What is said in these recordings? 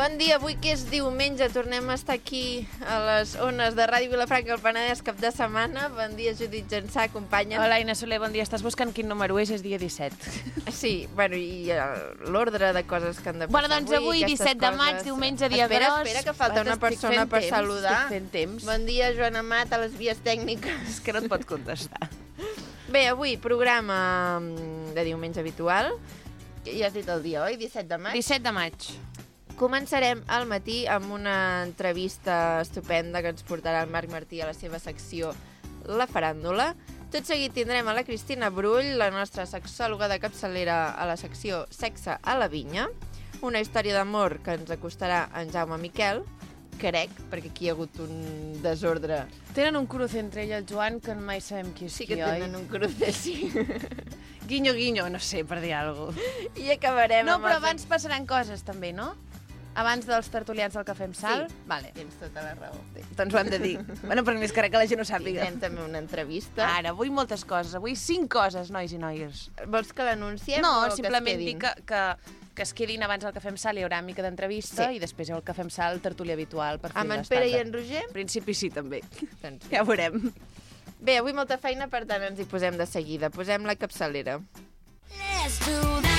Bon dia, avui que és diumenge tornem a estar aquí a les ones de Ràdio Vilafranca al Penedès cap de setmana. Bon dia, Judit Jansà, companya. Hola, Aina Soler, bon dia. Estàs buscant quin número és dia 17. Sí, bueno, i l'ordre de coses que han de passar bueno, doncs avui 17 de maig, diumenge, dia gros. Espera, que falta una persona per saludar. Estic fent temps. Bon dia, Joana Amat, a les vies tècniques. És que no et pot contestar. Bé, avui programa de diumenge habitual. Ja has dit el dia, oi? 17 de maig? 17 de maig. Començarem al matí amb una entrevista estupenda que ens portarà el Marc Martí a la seva secció La Faràndula. Tot seguit tindrem a la Cristina Brull, la nostra sexòloga de capçalera a la secció Sexe a la Vinya. Una història d'amor que ens acostarà en Jaume Miquel, crec, perquè aquí hi ha hagut un desordre. Tenen un cruce entre ell i el Joan que mai sabem qui és Sí qui, que tenen un cruce, sí. Guinyo, guinyo, no sé, per dir alguna cosa. I acabarem No, amb però abans passaran coses, també, no? Abans dels tertulians del Cafè amb Sal? Sí, vale. Tens tota la raó. Doncs ho hem de dir. Bueno, però més que res que la gent ho sàpiga. Tindrem també una entrevista. Ara, avui moltes coses. Avui 5 coses, nois i noies. Vols que l'anunciem No, o simplement que es dir quedin? que es quedin abans del Cafè amb Sal, hi haurà mica d'entrevista, Sí. i després hi ha el Cafè amb Sal, tertúlia habitual per fer Amb en l'estat. Pere i en Roger? En principi sí, també. Doncs Ja ho veurem. bé, avui molta feina, per tant ens hi posem de seguida. Posem la capçalera. Let's do that.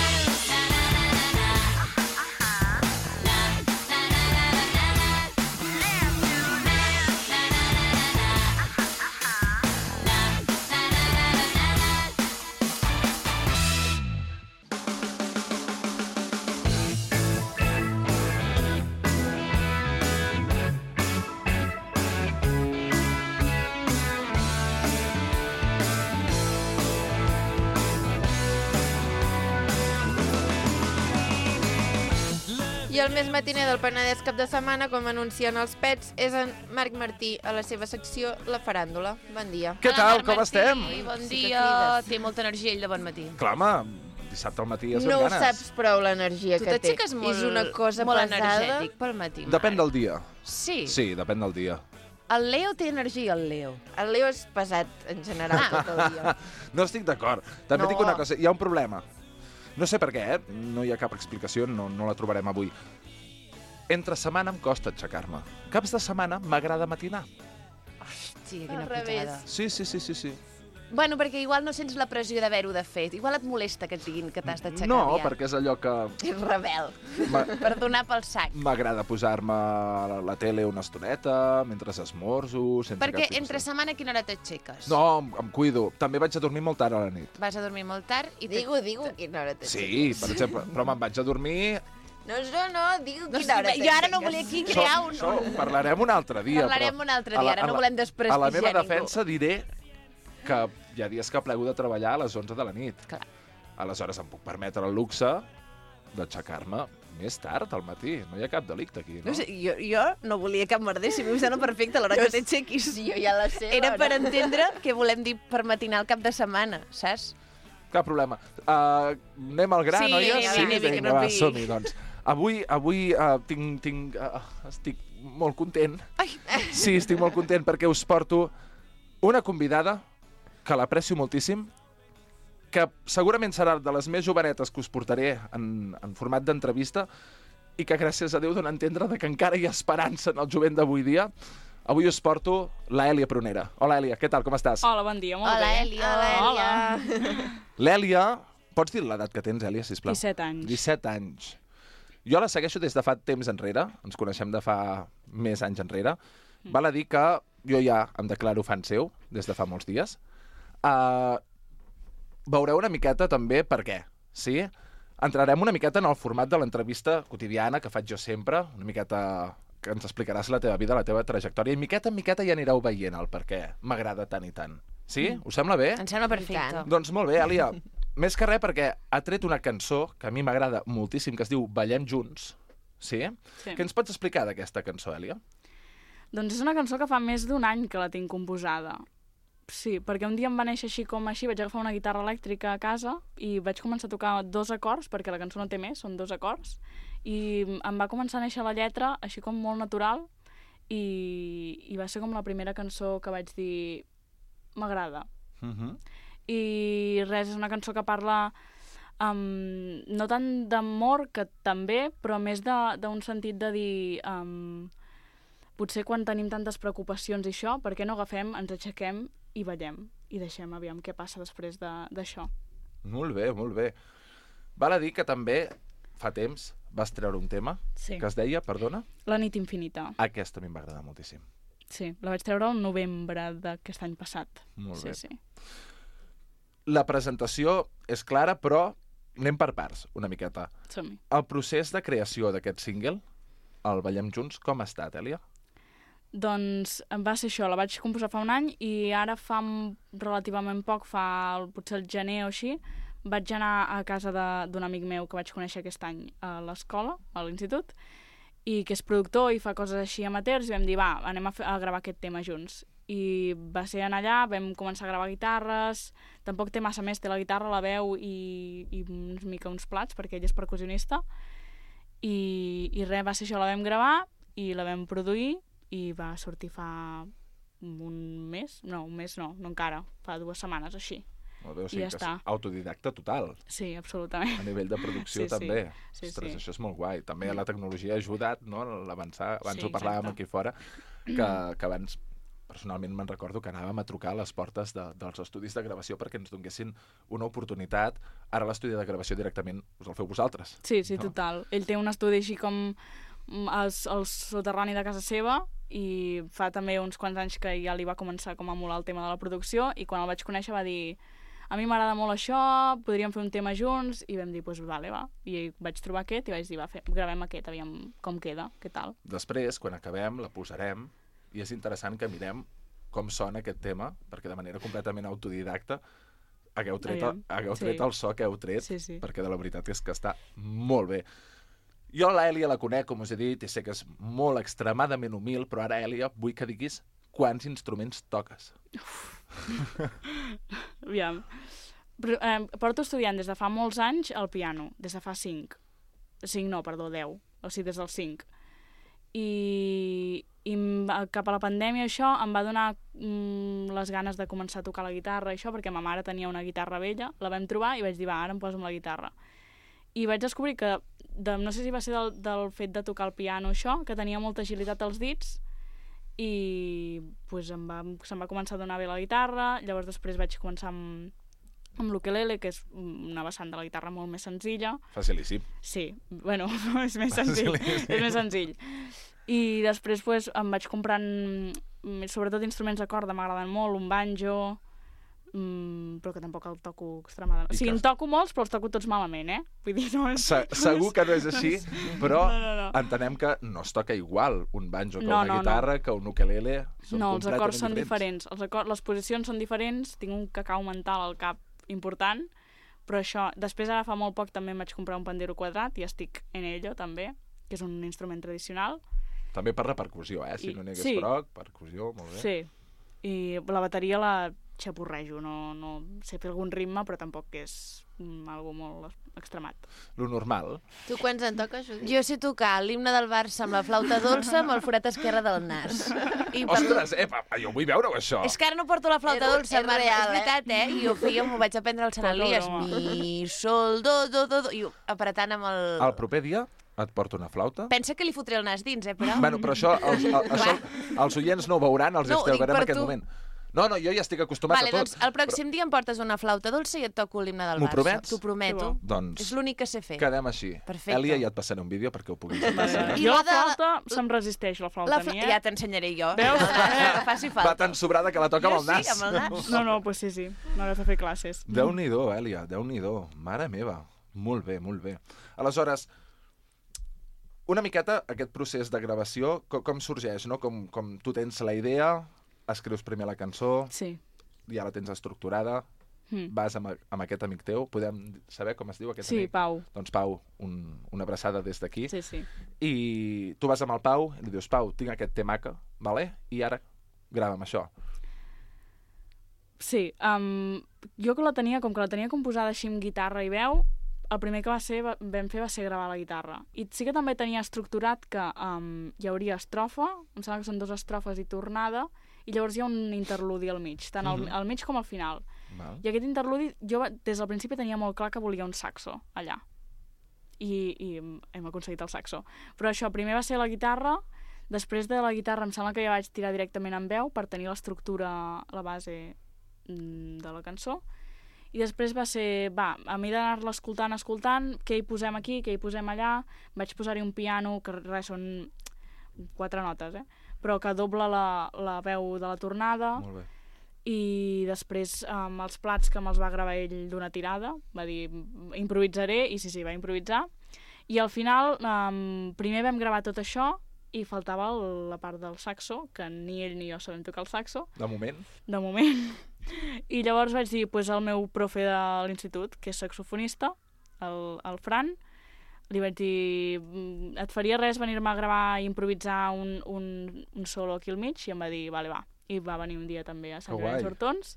I el més matiner del Penedès cap de setmana, com anuncien els pets, és en Marc Martí a la seva secció La Faràndula. Bon dia. Què tal, com estem? Bon Sí que dia. crides. Té molta energia ell de bon matí. Clar, home, dissabte al matí ja No són ho ganes. saps prou, l'energia Tu que té. t'aixeques molt, És una cosa molt pesada. energètic pel matí. Depèn del dia. Sí. Sí, depèn del dia. El Leo té energia, el Leo. El Leo és pesat, en general, tot el dia. No estic d'acord. També No. dic una cosa, hi ha un problema. No sé per què, no hi ha cap explicació, no la trobarem avui. Entre setmana em costa aixecar-me. Caps de setmana m'agrada matinar. Hòstia, quina Al revés. putada. Sí. Bueno, perquè igual no sents la pressió d'haver-ho de fer. Igual et molesta que et diguin que t'has d'aixecar No, aviat. perquè és allò que És rebel. Per donar pel sac. m'agrada posar-me la tele una estoneta, mentre esmorzo, sense cap Perquè tipus entre de- setmana a quina hora t'aixeques? No, em cuido. També vaig a dormir molt tard a la nit. Vas a dormir molt tard i... Digo, quina hora t'aixeques. Sí, per exemple, però me'n vaig a dormir. No, digo, No, quina hora jo ara no volia aquí crear un... Això ho parlarem un altre dia. Parlarem però un altre a dia, la- ara a no la- volem desprestigiar A la meva ningú. defensa diré que hi ha dies que plego de treballar a les 11 de la nit. Clar. Aleshores em puc permetre el luxe d'aixecar-me més tard al matí. No hi ha cap delicte aquí, no? No sé, jo no volia cap merder, si m'ho sembla perfecte l'hora que t'aixequis. Sí, jo ja la sé. Era per l'hora. entendre què volem dir per matinar el cap de setmana, saps? Cap problema. Anem al gra, Sí, noies? anem, que Vinga, no va, pigui. som-hi, doncs. Avui estic molt content. Ai. Sí, estic molt content perquè us porto una convidada que l'aprecio moltíssim, que segurament serà de les més jovenetes que us portaré en format d'entrevista i que, gràcies a Déu, dona a entendre que encara hi ha esperança en el jovent d'avui dia. Avui us porto l'Èlia Prunera. Hola, Èlia, què tal, com estàs? Hola, bon dia, molt Hola, bé. Èlia. Hola, Èlia. L'Èlia, pots dir l'edat que tens, Èlia, sisplau? 17 anys. 17 anys. Jo la segueixo des de fa temps enrere, ens coneixem de fa més anys enrere. Val a dir que jo ja em declaro fan seu des de fa molts dies. Veureu una miqueta també per què, sí? Entrarem una miqueta en el format de l'entrevista quotidiana que faig jo sempre, una miqueta que ens explicaràs la teva vida, la teva trajectòria, i miqueta en miqueta ja anireu veient el per què m'agrada tant i tant. Sí? Us sembla bé? Em sembla perfecte. Doncs molt bé, Èlia. Més que res perquè ha tret una cançó que a mi m'agrada moltíssim, que es diu Ballem Junts. Sí? Sí. Què ens pots explicar d'aquesta cançó, Èlia? Doncs és una cançó que fa més d'un any que la tinc composada. Sí, perquè un dia em va néixer així com així, vaig agafar una guitarra elèctrica a casa i vaig començar a tocar 2 acords, perquè la cançó no té més, són 2 acords, i em va començar a néixer la lletra així com molt natural i va ser com la primera cançó que vaig dir m'agrada. I res, és una cançó que parla No tant d'amor, que també, però més d'un sentit de dir... potser quan tenim tantes preocupacions i això, per què no agafem, ens aixequem i ballem i deixem aviam què passa després d'això. Molt bé, molt bé. Val a dir que també fa temps vas treure un tema Sí. que es deia, perdona? La nit infinita. Aquesta a mi em va agradar moltíssim. Sí, la vaig treure el novembre d'aquest any passat. Molt Sí, bé. sí. La presentació és clara, però anem per parts, una miqueta. Som-hi. El procés de creació d'aquest single, el Ballem Junts, com ha estat, Èlia? Doncs va ser això, la vaig composar fa un any i ara fa relativament poc, potser el gener o així, vaig anar a casa d'un amic meu que vaig conèixer aquest any a l'escola, a l'institut, i que és productor i fa coses així amateurs, i vam dir, va, anem a gravar aquest tema junts. I va ser anar allà, vam començar a gravar guitarres, tampoc té massa més, té la guitarra, la veu i una mica uns plats, perquè ell és percussionista, i res, va ser això, la vam gravar i la vam produir, i va sortir fa un mes, no encara, fa 2 setmanes o així. Molt bé, o I sigui ja que està. és autodidacta total, Sí, absolutament. a nivell de producció Sí, sí. també. Sí, Ostres, sí. això és molt guai. També la tecnologia ha ajudat, no?, a l'avançar. Abans Sí, ho parlàvem exacte. aquí fora, que abans personalment me'n recordo que anàvem a trucar a les portes dels estudis de gravació perquè ens donessin una oportunitat. Ara l'estudi de gravació directament us el feu vosaltres. Sí, sí, No? total. Ell té un estudi així com al soterrani de casa seva i fa també uns quants anys que ja li va començar com a molar el tema de la producció i quan el vaig conèixer va dir a mi m'agrada molt això, podríem fer un tema junts i vam dir, doncs vale, va. I vaig trobar aquest i vaig dir, va, gravem aquest, aviam com queda, què tal. Després, quan acabem, la posarem i és interessant que mirem com sona aquest tema, perquè de manera completament autodidacta hagueu tret Sí. el so que heu tret, Sí, sí. perquè de la veritat és que està molt bé. Jo l'Èlia la conec, com us he dit, i sé que és molt extremadament humil, però ara, Èlia, vull que diguis quants instruments toques. Aviam. Porto estudiant des de fa molts anys el piano, des de fa 5. 5 no, perdó, 10. O sigui, des dels 5. I cap a la pandèmia això em va donar les ganes de començar a tocar la guitarra i això, perquè ma mare tenia una guitarra vella, la vam trobar i vaig dir, va, ara em poso amb la guitarra. I vaig descobrir que, no sé si va ser del fet de tocar el piano això, que tenia molta agilitat als dits i pues, se'm va començar a donar bé la guitarra, llavors després vaig començar amb l'ukelele, que és una vessant de la guitarra molt més senzilla. Facilíssim. Sí, bueno, és més senzill. És més senzill. I després pues, em vaig comprant, sobretot instruments de corda, m'agraden molt, un banjo, però que tampoc el toco extremadament. O sigui, en toco molts, però els toco tots malament, eh? Vull dir, no és... Segur que no és així, però No. entenem que no es toca igual un banjo que No, una guitarra, que un ukelele. Són No, els acords són completament diferents. Les posicions són diferents, tinc un cacau mental al cap important, però això... Després, ara fa molt poc, també em vaig comprar un pandero quadrat i estic en ello, també, que és un instrument tradicional. També per la percussió, si no n'hi hagués prou, percussió, molt bé. Sí, i la bateria la xapurrejo, no sé fer algun ritme, però tampoc és algo molt extremat. Lo normal. Tu quants en toques, Judit? Jo sé tocar l'himne del Barça amb la flauta dolça amb el forat esquerre del nas. I Ostres, jo vull veure-ho, això. És que ara no porto la flauta dolça, és Marc, real, és veritat, I ho feia, m'ho vaig aprendre al Sant Poca Elies. broma. Mi, sol, do, i apretant amb el... El proper dia et porto una flauta. Pensa que li fotré el nas dins, però... Bueno, però això els oients no ho veuran, els No, ho dic extraugarem en per aquest tu. moment. No, jo ja estic acostumat Vale, a tot. doncs el pròxim dia em portes una flauta dolça i et toco l'himne del M'ho Barça. promets? T'ho prometo. Que bo. Doncs És l'únic que sé fer. quedem així. Perfecte. Èlia, ja et passaré un vídeo perquè ho puguis apreciar. I Jo la la de- flauta se'm resisteix, la flauta a mi, Ja t'ensenyaré jo. Veus? Que faci falta. Va tan sobrada que la toca amb el nas. Sí, amb el nas. No, pues sí. M'hauràs de fer classes. Déu-n'hi-do, Èlia, Déu-n'hi-do. Mare meva. Molt bé, molt bé. Aleshores, una miqueta aquest procés de gravació, com sorgeix, no? Com tu tens la idea, escrius primer la cançó, Sí. ja la tens estructurada, vas amb aquest amic teu, podem saber com es diu aquest Sí, amic? Pau. Doncs Pau, una abraçada des d'aquí. Sí. I tu vas amb el Pau i li dius, Pau, tinc aquest temaca, vale? I ara grava'm això. Sí, jo que la tenia composada així amb guitarra i veu, el primer que vam fer va ser gravar la guitarra. I sí que també tenia estructurat que hi hauria estrofa, em sembla que són 2 estrofes i tornada, i llavors hi ha un interludi al mig, tant al mig com al final. Val. I aquest interludi, jo des del principi tenia molt clar que volia un saxo allà. I hem aconseguit el saxo. Però això, primer va ser la guitarra, després de la guitarra em sembla que ja vaig tirar directament en veu per tenir l'estructura, la base de la cançó. I després va ser, a mi d'anar-la escoltant, què hi posem aquí, què hi posem allà, vaig posar-hi un piano, que res, són 4 notes, però que dobla la veu de la tornada. Molt bé. I després els plats que me'ls va gravar ell d'una tirada, va dir improvisaré, i sí, va improvisar. I al final, primer vam gravar tot això i faltava la part del saxo, que ni ell ni jo sabem tocar el saxo. De moment? De moment. I llavors vaig dir al meu profe de l'institut, que és saxofonista, el Fran, li vaig dir, et faria res venir-me a gravar i improvisar un solo aquí al mig? I em va dir, vale, va. I va venir un dia també a Sant Llorenç d'Hortons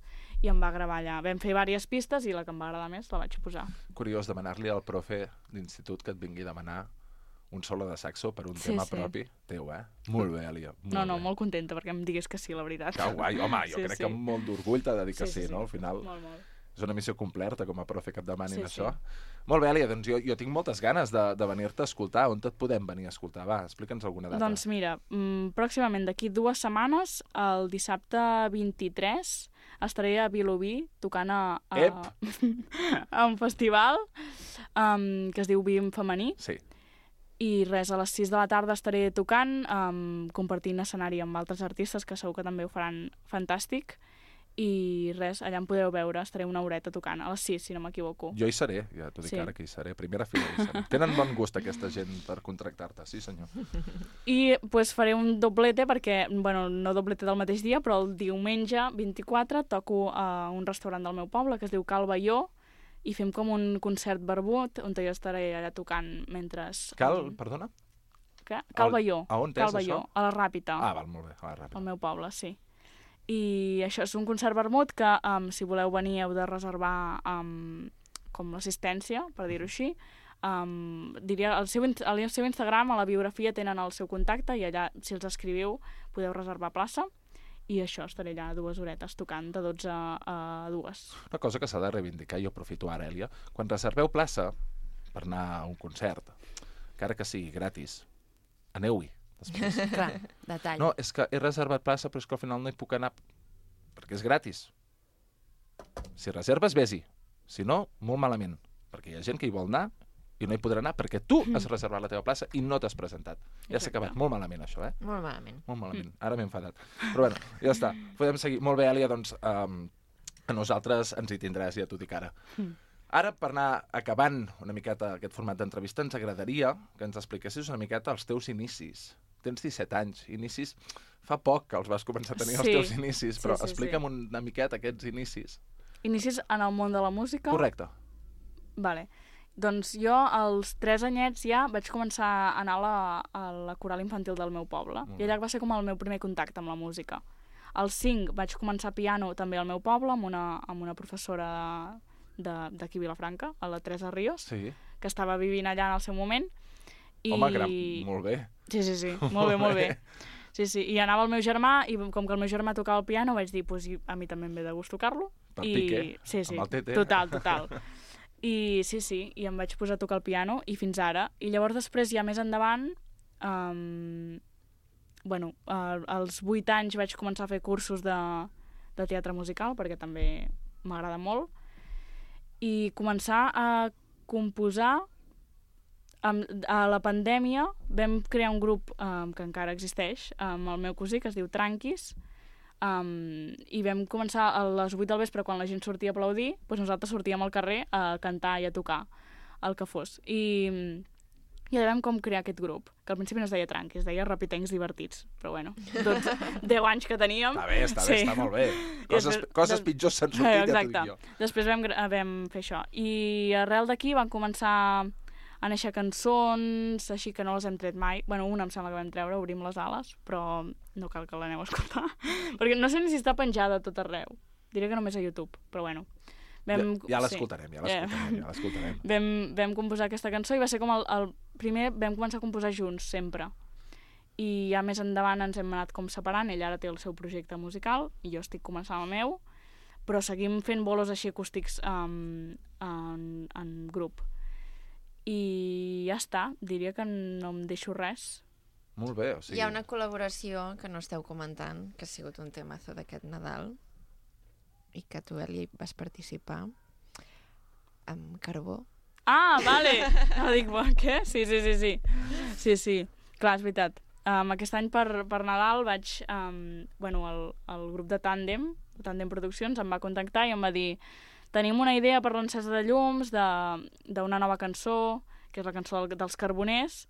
i em va gravar allà. Vam fer diverses pistes i la que em va agradar més la vaig posar. Curiós demanar-li al profe d'institut que et vingui a demanar un solo de saxo per un tema propi teu, Molt bé, Elia. Molt contenta perquè em digués que sí, la veritat. Que guai, home, jo crec que amb molt d'orgull t'ha de dir que sí, no? Al final molt. és una missió completa com a profe que et demanin això. Molt bé, Elia, doncs jo tinc moltes ganes de venir-te a escoltar. On et podem venir a escoltar? Va, explica'ns alguna data. Doncs mira, pròximament d'aquí 2 setmanes, el dissabte 23, estaré a Vilobí tocant a un festival que es diu Vim Femení. Sí. I res, a les 6 de la tarda estaré tocant, compartint escenari amb altres artistes que segur que també ho faran fantàstic. I res, allà em podreu veure, estaré una horeta tocant, a les 6, si no m'equivoco. Jo hi seré, ja t'ho dic ara que hi seré. Primera fila hi seré. Tenen bon gust aquesta gent per contractar-te, sí senyor. I pues, faré un doblete perquè, no doblete del mateix dia, però el diumenge 24 toco a un restaurant del meu poble que es diu Cal Baió i fem com un concert barbut on jo estaré allà tocant mentre... Perdona? Què? Cal Baió. A on és això? A la Ràpita. Ah, val, molt bé, a la Ràpita. Al meu poble, sí. I això és un concert vermut que, si voleu venir, heu de reservar com l'assistència, per dir-ho així. Diria, al seu Instagram, a la biografia, tenen el seu contacte i allà, si els escriviu, podeu reservar plaça. I això, estaré allà 2 horetes tocant, de 12 a 2. Una cosa que s'ha de reivindicar, jo aprofito ara, Elia, quan reserveu plaça per anar a un concert, encara que sigui gratis, aneu-hi. Clar, detall. No, és que he reservat plaça, però és que al final no hi puc anar perquè és gratis. Si reserves, vés-hi. Si no, molt malament. Perquè hi ha gent que hi vol anar i no hi podrà anar perquè tu has reservat la teva plaça i no t'has presentat. Ja s'ha acabat. Molt malament, això, Molt malament. Molt malament. Ara m'he enfadat. Però bueno, ja està. Podem seguir. Molt bé, Elia, doncs a nosaltres ens hi tindràs, ja t'ho dic ara. Ara, per anar acabant una miqueta aquest format d'entrevista, ens agradaria que ens expliquessis una miqueta els teus inicis. Tens 17 anys, inicis... Fa poc que els vas començar a tenir els teus inicis, però explica'm una miqueta aquests inicis. Inicis en el món de la música? Correcte. Vale. Doncs jo, als 3 anyets ja, vaig començar a anar a la coral infantil del meu poble. I allà va ser com el meu primer contacte amb la música. Als 5 vaig començar piano també al meu poble, amb una professora d'aquí a Vilafranca, a la Teresa Ríos, que estava vivint allà en el seu moment. Home, molt bé. Sí, molt bé. Sí, i anava el meu germà, i com que el meu germà tocava el piano, vaig dir, a mi també em ve de gust tocar-lo. Per pique, amb el tete. Total. I i em vaig posar a tocar el piano, i fins ara. I llavors després, ja més endavant, als 8 anys vaig començar a fer cursos de teatre musical, perquè també m'agrada molt, i començar a composar. A la pandèmia vam crear un grup que encara existeix amb el meu cosí, que es diu Tranquis, i vam començar a les 8 del vespre, quan la gent sortia a aplaudir, doncs nosaltres sortíem al carrer a cantar i a tocar el que fos. I allà vam com crear aquest grup, que al principi no es deia Tranquis, es deia Rapitencs Divertits, però bueno, 10 anys que teníem. Està bé, està molt bé. Coses pitjors s'han sortit, ja t'ho dic jo. Després vam fer això. I arrel d'aquí van començar a néixer cançons, així que no les hem tret mai. Una em sembla que vam treure, Obrim les ales, però no cal que l'aneu a escoltar, perquè no sé ni si està penjada a tot arreu. Diré que només a YouTube, però bueno. Ja l'escoltarem. Vam composar aquesta cançó i va ser com el primer, vam començar a composar junts, sempre. I ja més endavant ens hem anat com separant, ell ara té el seu projecte musical i jo estic començant el meu, però seguim fent bolos així acústics en grup. I ja està, diria que no em deixo res. Molt bé, o sigui... Hi ha una col·laboració que no esteu comentant, que ha sigut un temazo d'aquest Nadal, i que tu, Eli, vas participar amb Carbó. Ah, vale! No, dic, què? Sí. Sí, clar, és veritat. Aquest any per Nadal vaig... el grup de Tàndem Produccions, em va contactar i em va dir tenim una idea per l'encesa de llums d'una nova cançó, que és la cançó dels Carboners,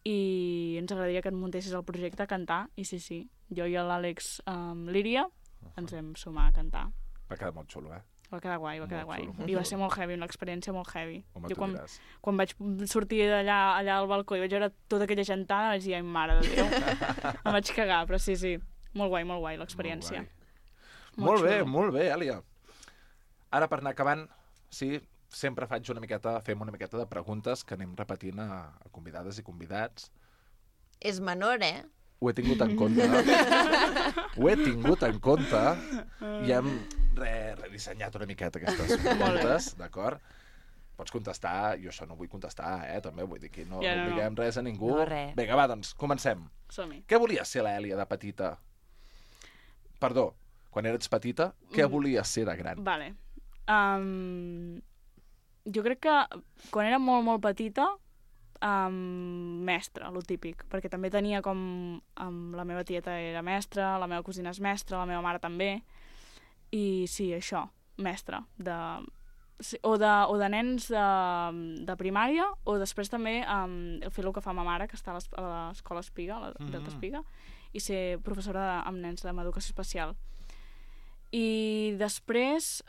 i ens agradaria que et muntessis el projecte a cantar. I sí, jo i l'Àlex Líria ens vam sumar a cantar. Va quedar molt xulo, Va quedar guai. Xulo. I va ser molt heavy, una experiència molt heavy. Home, jo tu diràs. quan vaig sortir allà al balcó i vaig veure tota aquella gentada, vaig dir, ai, mare de Déu. Em vaig cagar, però sí, molt guai l'experiència. Molt bé, Èlia. Ara, per anar acabant, sí, sempre fem una miqueta de preguntes que anem repetint a convidades i convidats. És menor, Ho he tingut en compte. I hem redissenyat una miqueta aquestes preguntes, d'acord? Pots contestar, jo això no vull contestar, també, vull dir que no obliguem res a ningú. No, res. Vinga, va, doncs, comencem. Som-hi. Què volia ser l'Èlia de petita? Perdó, quan eres petita, què volies ser de gran? Vale. Jo crec que quan era molt petita, mestra, lo típic, perquè també tenia com... la meva tieta era mestra, la meva cosina és mestra, la meva mare també, i sí, això, mestra, o de nens de primària, o després també fer el que fa ma mare, que està a l'escola Espiga, a la Delta Espiga, i ser professora amb nens amb educació especial. I després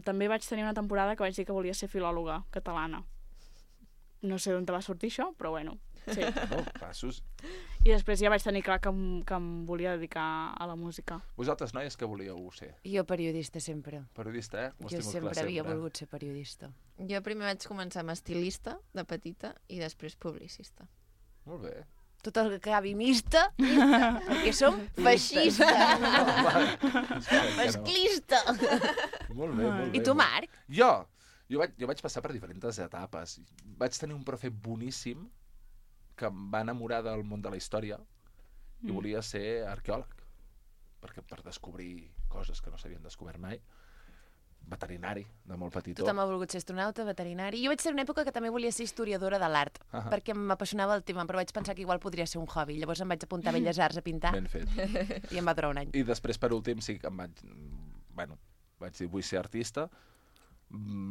també vaig tenir una temporada que vaig dir que volia ser filòloga catalana. No sé d'on te va sortir això, però bueno, sí. No, passos. I després ja vaig tenir clar que em volia dedicar a la música. Vosaltres, noies, què volíeu ser? Jo periodista sempre. Periodista, Ho has Jo tingut sempre clar havia volgut ser periodista. Jo primer vaig començar amb estilista, de petita, i després publicista. Molt bé. Tot el que acabi mista, perquè som feixistes. Masclista. Molt bé. I tu, Marc? Jo vaig passar per diferents etapes. Vaig tenir un profe boníssim que em va enamorar del món de la història i volia ser arqueòleg, perquè per descobrir coses que no s'havien descobert mai. Veterinari, de molt petitó. Tothom ha volgut ser astronauta, veterinari. Jo vaig ser una època que també volia ser historiadora de l'art, perquè m'apassionava el tema, però vaig pensar que igual podria ser un hobby. Llavors em vaig apuntar a Belles Arts a pintar. Ben fet. I em va durar un any. I després, per últim, sí que vaig dir, vull ser artista.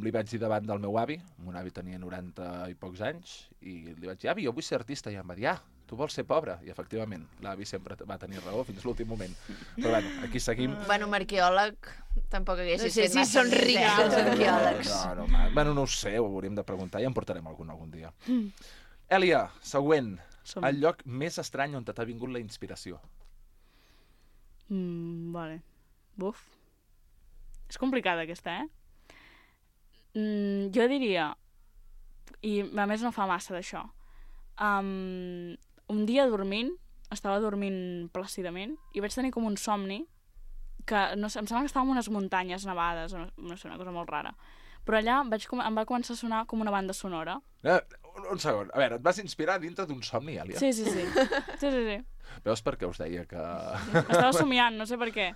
Li vaig dir davant del meu avi, mon avi tenia 90 i pocs anys, i li vaig dir, avi, jo vull ser artista, i em va dir, tu vols ser pobre? I efectivament, l'avi sempre va tenir raó fins l'últim moment. Però bueno, aquí seguim. Bueno, un arqueòleg tampoc hagués No sé fet si massa són rics els arqueòlegs. No ho sé, ho hauríem de preguntar i en portarem algun dia. Èlia, següent. El lloc més estrany on t'ha vingut la inspiració. Vale. Buf. És complicada aquesta, Jo diria, i a més no fa massa d'això, un dia estava dormint plàcidament i vaig tenir com un somni que, no sé, em sembla que estava en unes muntanyes nevades, no sé, una cosa molt rara. Però allà em va començar a sonar com una banda sonora. Un segon, a veure, et vas inspirar dintre d'un somni, Èlia? Sí. Veus per què us deia que... Estava somiant, no sé per què.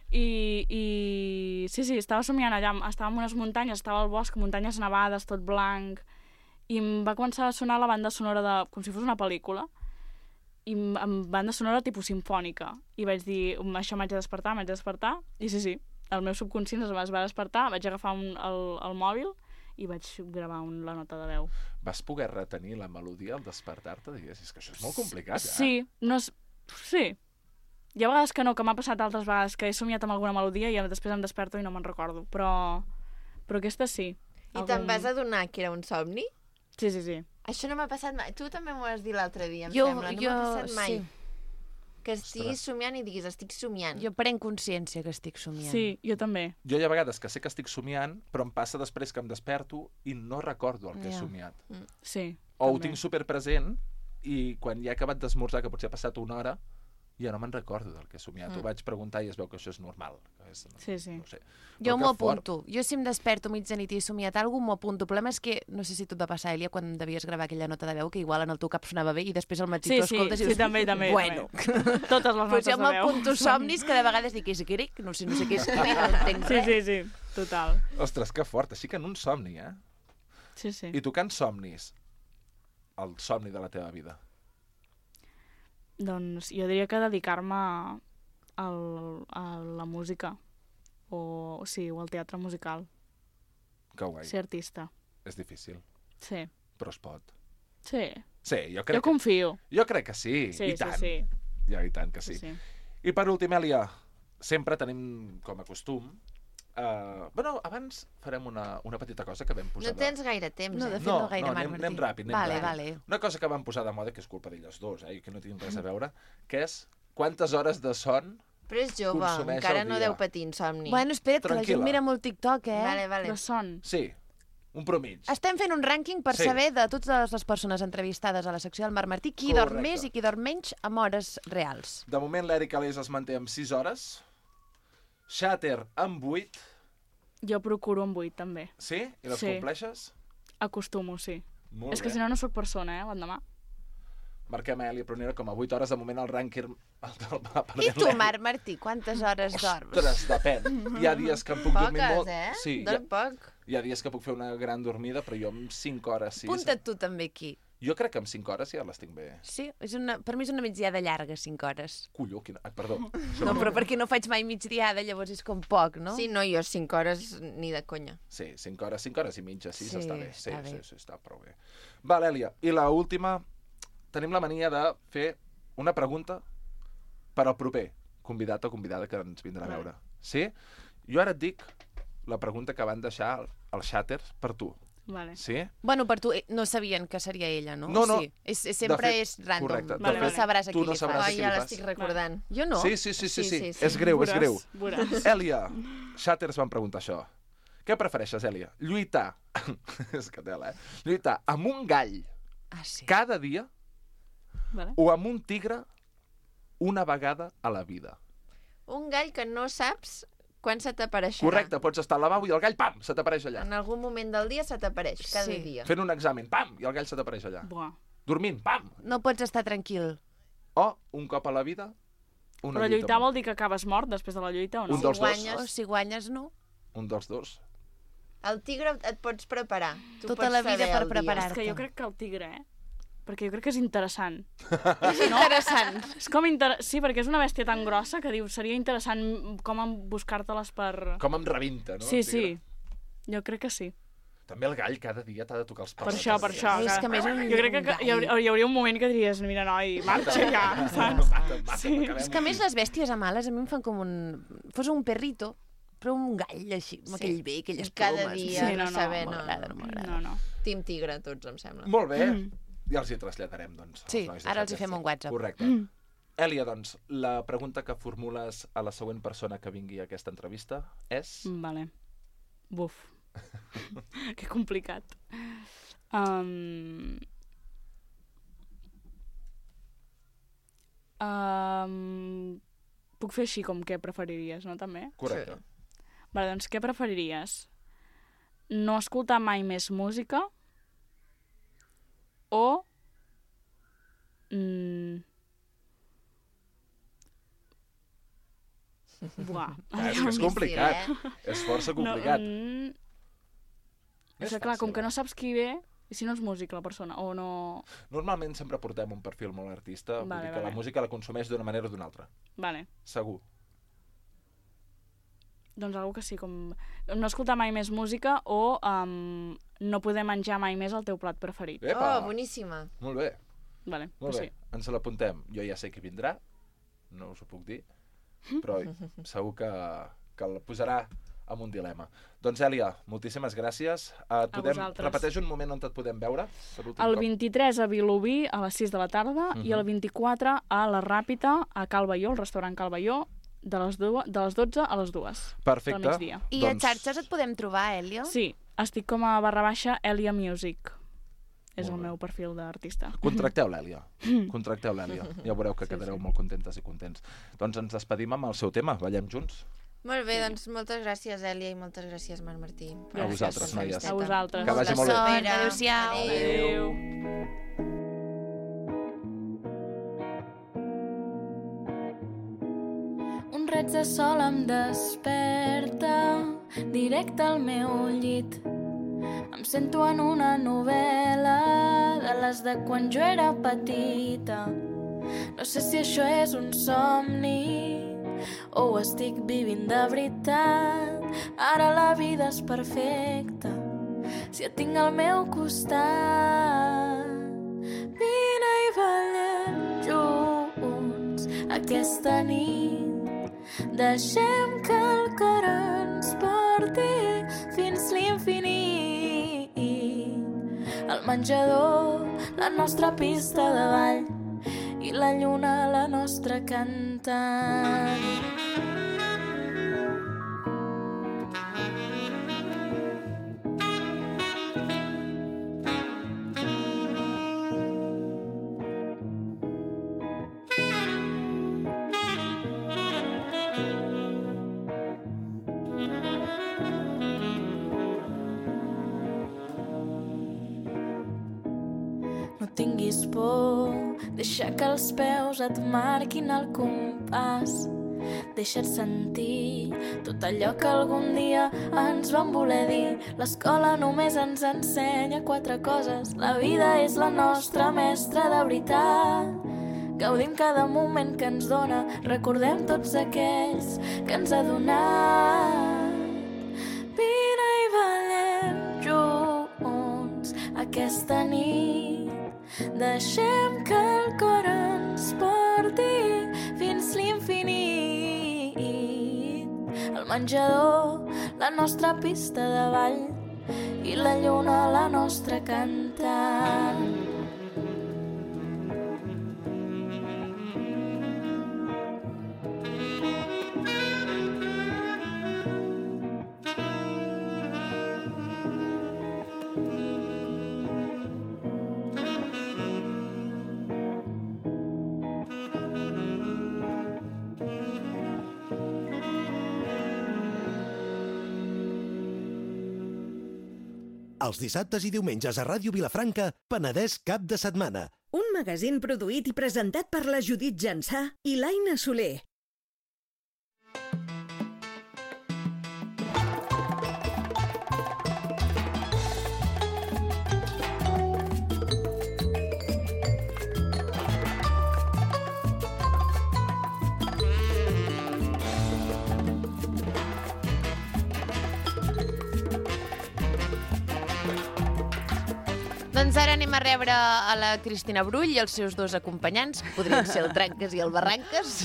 I sí, estava somiant allà, estava en unes muntanyes, estava al bosc, muntanyes nevades, tot blanc, i em va començar a sonar la banda sonora com si fos una pel·lícula, i amb banda sonora tipus simfònica, i vaig dir, això m'haig de despertar, i sí, el meu subconscient es va despertar, vaig agafar el mòbil i vaig gravar la nota de veu. Vas poder retenir la melodia al despertar-te? Digues, és que això és molt complicat, Sí. Hi ha vegades que no, que m'ha passat altres vegades que he somiat amb alguna melodia i després em desperto i no me'n recordo, però aquesta sí. I te'n vas adonar que era un somni? Sí. Això no m'ha passat mai. Tu també m'ho vas dir l'altre dia, em Jo- sembla. No m'ha passat mai. sí. Que estiguis somiant i diguis, estic somiant. Jo prenc consciència que estic somiant. Sí, jo també. Jo hi ha vegades que sé que estic somiant, però em passa després que em desperto i no recordo el que he Ja. somiat. Sí. O ho també. tinc superpresent i quan ja he acabat d'esmorzar, que potser ha passat una hora, Ja no me'n recordo del que he somiat. Ho vaig preguntar i es veu que això és normal. Sí, sí. No ho sé. Jo Però m'ho que fort. apunto. Jo si em desperto mitjanit i he somiat alguna cosa, m'ho apunto. El problema és que, no sé si tu et va passar, Èlia, quan devies gravar aquella nota de veu, que igual en el teu cap sonava bé i després al matí Sí, tu escoltes i sí, dius... també. Bueno. Totes les Pues notes jo de veu. m'apunto somnis que de vegades dic, és grec, no sé què és grec, no entenc Sí, res. sí, sí, total. Ostres, que fort. Així que en un somni, eh? Sí, sí. I tocant somnis, el somni de la teva vida. Doncs jo diria que dedicar-me a la música o al teatre musical, Que guai. ser artista. És difícil, Sí, però es pot. sí. Sí, jo Jo crec, confio. jo crec que sí. Sí, I tant. sí, Ja, i tant que sí. sí. I per últim, Èlia, sempre tenim com a costum... Bueno, abans farem una petita cosa que vam posar... No tens gaire temps, No, eh? de fet, no gaire, anem, Marc anem Martí. ràpid, Vale, ràpid. vale. Una cosa que vam posar de moda, que és culpa d'elles dos, i que no tinc res a veure, que és quantes hores de son... Però és jove, Consumeix encara al no dia. deu patir insomni. Bueno, espera't, que la Tranquil·la. gent mira molt TikTok, eh? Vale, vale. De son. Sí, un promig. Estem fent un rànquing per Sí. saber de totes les persones entrevistades a la secció del Marc Martí qui dorm Correcte. més i qui dorm menys amb hores reals. De moment, l'Eric Alés es manté amb 6 hores, Shatter amb 8, Jo procuro amb 8, també. sí? I les Sí. compleixes? Acostumo, sí. Molt És que bé. si no, no sóc persona, l'endemà. Marquem a Èlia Prunera com a 8 hores, de moment el rànquing... I tu, Marc Martí, quantes hores dorms? Ostres, depèn. Hi ha dies que em puc dormir Poques, molt. eh? Sí, Dorm poc. hi ha dies que puc fer una gran dormida, però jo amb 5 hores, 6... Apunta't tu també aquí. Jo crec que amb 5 hores ja les tinc bé. Sí, per mi és una migdiada llarga, 5 hores. Colló, quina... Perdó. No, però perquè no faig mai migdiada, llavors és com poc, no? Sí, no, jo 5 hores ni de conya. Sí, 5 hores i mitja, 6 Sí, està bé. Sí, està bé. sí, està prou bé. Val, Èlia, i la última, tenim la mania de fer una pregunta per al proper convidat o convidada que ens vindrà a veure. Sí? Jo ara et dic la pregunta que van deixar els Shatters per tu. Vale. Sí? Bueno, per tu no sabien que seria ella, no? No, no. Sí. Sempre De fet, és random. correcte. De No fet, sabràs a tu qui no li sabràs fas. a Ai, qui ja li l'estic recordant. Jo no. Sí. Sí. És greu, és greu. Veuràs. Èlia, Shatters van preguntar això. Què prefereixes, Èlia? Lluitar, és que tela, lluitar amb un gall Ah, sí. cada dia Vale. o amb un tigre una vegada a la vida? Un gall que no saps quan se t'apareixerà. Correcte, pots estar al lavabo i el gall, pam, se t'apareix allà. En algun moment del dia se t'apareix, cada Sí. dia. Fent un examen, pam, i el gall se t'apareix allà. Buah. Dormint, pam. No pots estar tranquil. O, un cop a la vida, una Però lluita lluitar amb- vol dir que acabes mort després de la lluita o no? Un dels dos. guanyes- O si guanyes, no. Un dels dos. El tigre et pots preparar. Tu Tota pots la vida saber per el dia. preparar-te. És que jo crec que el tigre, perquè jo crec que és interessant. És interessant. És com Sí, perquè és una bèstia tan grossa que diu, seria interessant com buscar-te-les per... Com em rebenta, no? Sí, el tigre? sí. Jo crec que sí. També el gall cada dia t'ha de tocar els Per pals. això, per això. És que a més un Jo crec que gall. hi hauria un moment que diries, mira, noi, marxa ja, saps? Sí. És que a més les bèsties amales a mi em fan com fos un perrito, però un gall així, amb aquell bé, aquelles Cada plomes. dia, Sí, no, no, saber, no no. m'agrada, no m'agrada. No, no. Team tigre, tots, em sembla. Molt bé. Ja els hi traslladarem, doncs. als Sí, nois de ara els hi Shatters. fem un WhatsApp. Correcte. Èlia, doncs, la pregunta que formules a la següent persona que vingui a aquesta entrevista és... Vale. Buf. Que complicat. Puc fer així com què preferiries, no, també? Correcte. Vale, doncs què preferiries? No escoltar mai més música o... Buah. És que és complicat. És força complicat. És que clar, com que no saps qui ve, i si no és músic la persona, o no... Normalment sempre portem un perfil molt artista, vull Vale, dir que la vale. música la consumeix d'una manera o d'una altra. Vale, Segur. doncs algo que sí, com... No escoltar mai més música o no poder menjar mai més el teu plat preferit. Epa! Oh, boníssima. Molt bé, Vale, molt doncs bé. Ens l'apuntem. Jo ja sé qui vindrà, no us ho puc dir, però segur que el posarà amb un dilema. Doncs, Èlia, moltíssimes gràcies. vosaltres. Repeteix un moment on et podem veure, per últim El cop. 23 a Vilobí a les 6 de la tarda i el 24 a la Ràpita a Cal Baió, el restaurant Cal Baió, de les 12 a les 2 Perfecte. del migdia. I a xarxes et podem trobar, Èlia? Sí, estic com a /Èlia Music. És el meu perfil d'artista. Contracteu l'Èlia. Ja veureu que quedareu molt contentes i contents. Doncs ens despedim amb el seu tema. Ballem junts. Molt bé, doncs moltes gràcies, Èlia, i moltes gràcies, Marc Martí. A vosaltres, noies. A vosaltres. Que vagi molt bé. Adéu-siau. Adéu. Un raig de sol em desperta directe al meu llit. Em sento en una novel·la de les de quan jo era petita. No sé si això és un somni o ho estic vivint de veritat. Ara la vida és perfecta si et tinc al meu costat. Vine i ballem junts aquesta nit. Deixem que el cor ens porti fins l'infinit. El menjador, la nostra pista de ball, i la lluna, la nostra cantant. No tinguis por, deixa que els peus et marquin el compàs. Deixa't sentir tot allò que algun dia ens van voler dir. L'escola només ens ensenya 4 coses. La vida és la nostra mestra de veritat. Gaudim cada moment que ens dona. Recordem tots aquells que ens ha donat. Vine i ballem junts aquesta nit. Deixem que el cor ens porti fins l'infinit. El menjador, la nostra pista de ball, i la lluna, la nostra cantant. Els dissabtes i diumenges a Ràdio Vilafranca, Penedès cap de setmana. Un magazín produït i presentat per la Judit Jansà i l'Aina Soler. Doncs ara anem a rebre a la Cristina Brull i els seus 2 acompanyants. Podrien ser el Tranques i el Barranques.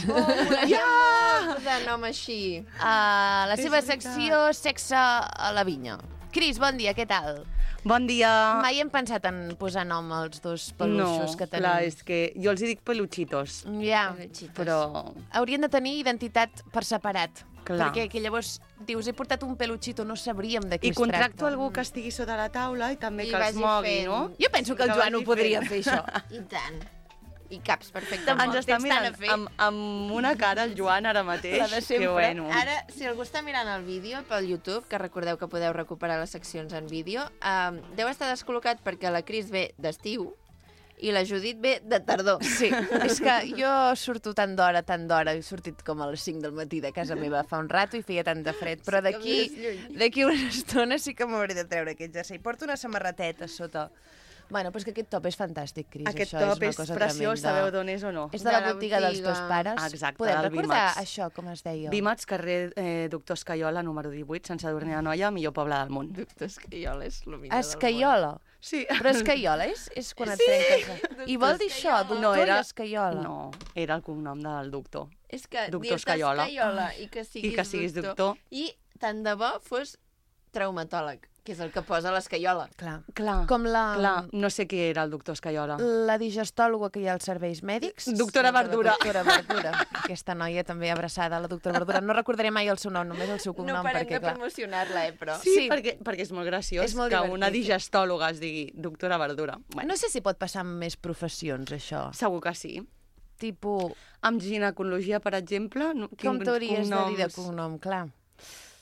De nom així. A la seva secció Sexe a la vinya. Cris, bon dia, què tal? Bon dia. Mai hem pensat en posar nom als 2 peluixos que tenim. No, clar, és que jo els hi dic peluchitos. Ja, però... haurien de tenir identitat per separat. Clar. Perquè llavors dius, he portat un peluchito, no sabríem de qui I es tracta. contracto algú que estigui sota la taula i també I que els vagi mogui, fent. no? Jo penso que el Que Joan ho vagi podria fent. fer, això. I tant. I caps perfectament. Ens està mirant amb una cara el Joan ara mateix. La de sempre. Que bueno. Ara, si algú està mirant el vídeo pel YouTube, que recordeu que podeu recuperar les seccions en vídeo, deu estar descol·locat perquè la Cris ve d'estiu i la Judit ve de tardor. Sí, és que jo surto tant d'hora, he sortit com a les 5 del matí de casa meva fa un rato i feia tant de fred, però d'aquí una estona sí que m'hauré de treure aquest jersei. Porto una samarreteta sota. Bueno, però és que aquest top és fantàstic, Cris. Aquest això top és preciós, sabeu d'on és o no? És de la botiga dels teus pares. Exacte, Podem del recordar Vímats. això, com es deia? Vímats, carrer Doctor Escaiola, número 18, Sant Sadurní d'Anoia, millor poble del món. Doctor Escaiola és el millor del món. Escaiola. Sí. Però escaiola és quan et trenques. I vol dir això, doctor i escaiola. No, era el cognom del doctor. És que Doctor dir-te Escaiola. Escaiola i que siguis doctor. I tant de bo fos traumatòleg. Que és el que posa l'escaiola. Clar. Clar, Com clar, no sé qui era el doctor Escaiola. la digestòloga que hi ha als serveis mèdics. Doctora Verdura. Doctora Verdura. Aquesta noia també abraçada a la doctora Verdura. No recordaré mai el seu nom, només el seu cognom. No parem perquè, de clar, promocionar-la, però... Sí, perquè és molt graciós És molt que divertit. una digestòloga es digui doctora Verdura. Bueno, No sé si pot passar amb més professions, això. segur que sí. Tipus, Amb ginecologia, per exemple, com t'hauries de dir de cognoms? cognom? Clar.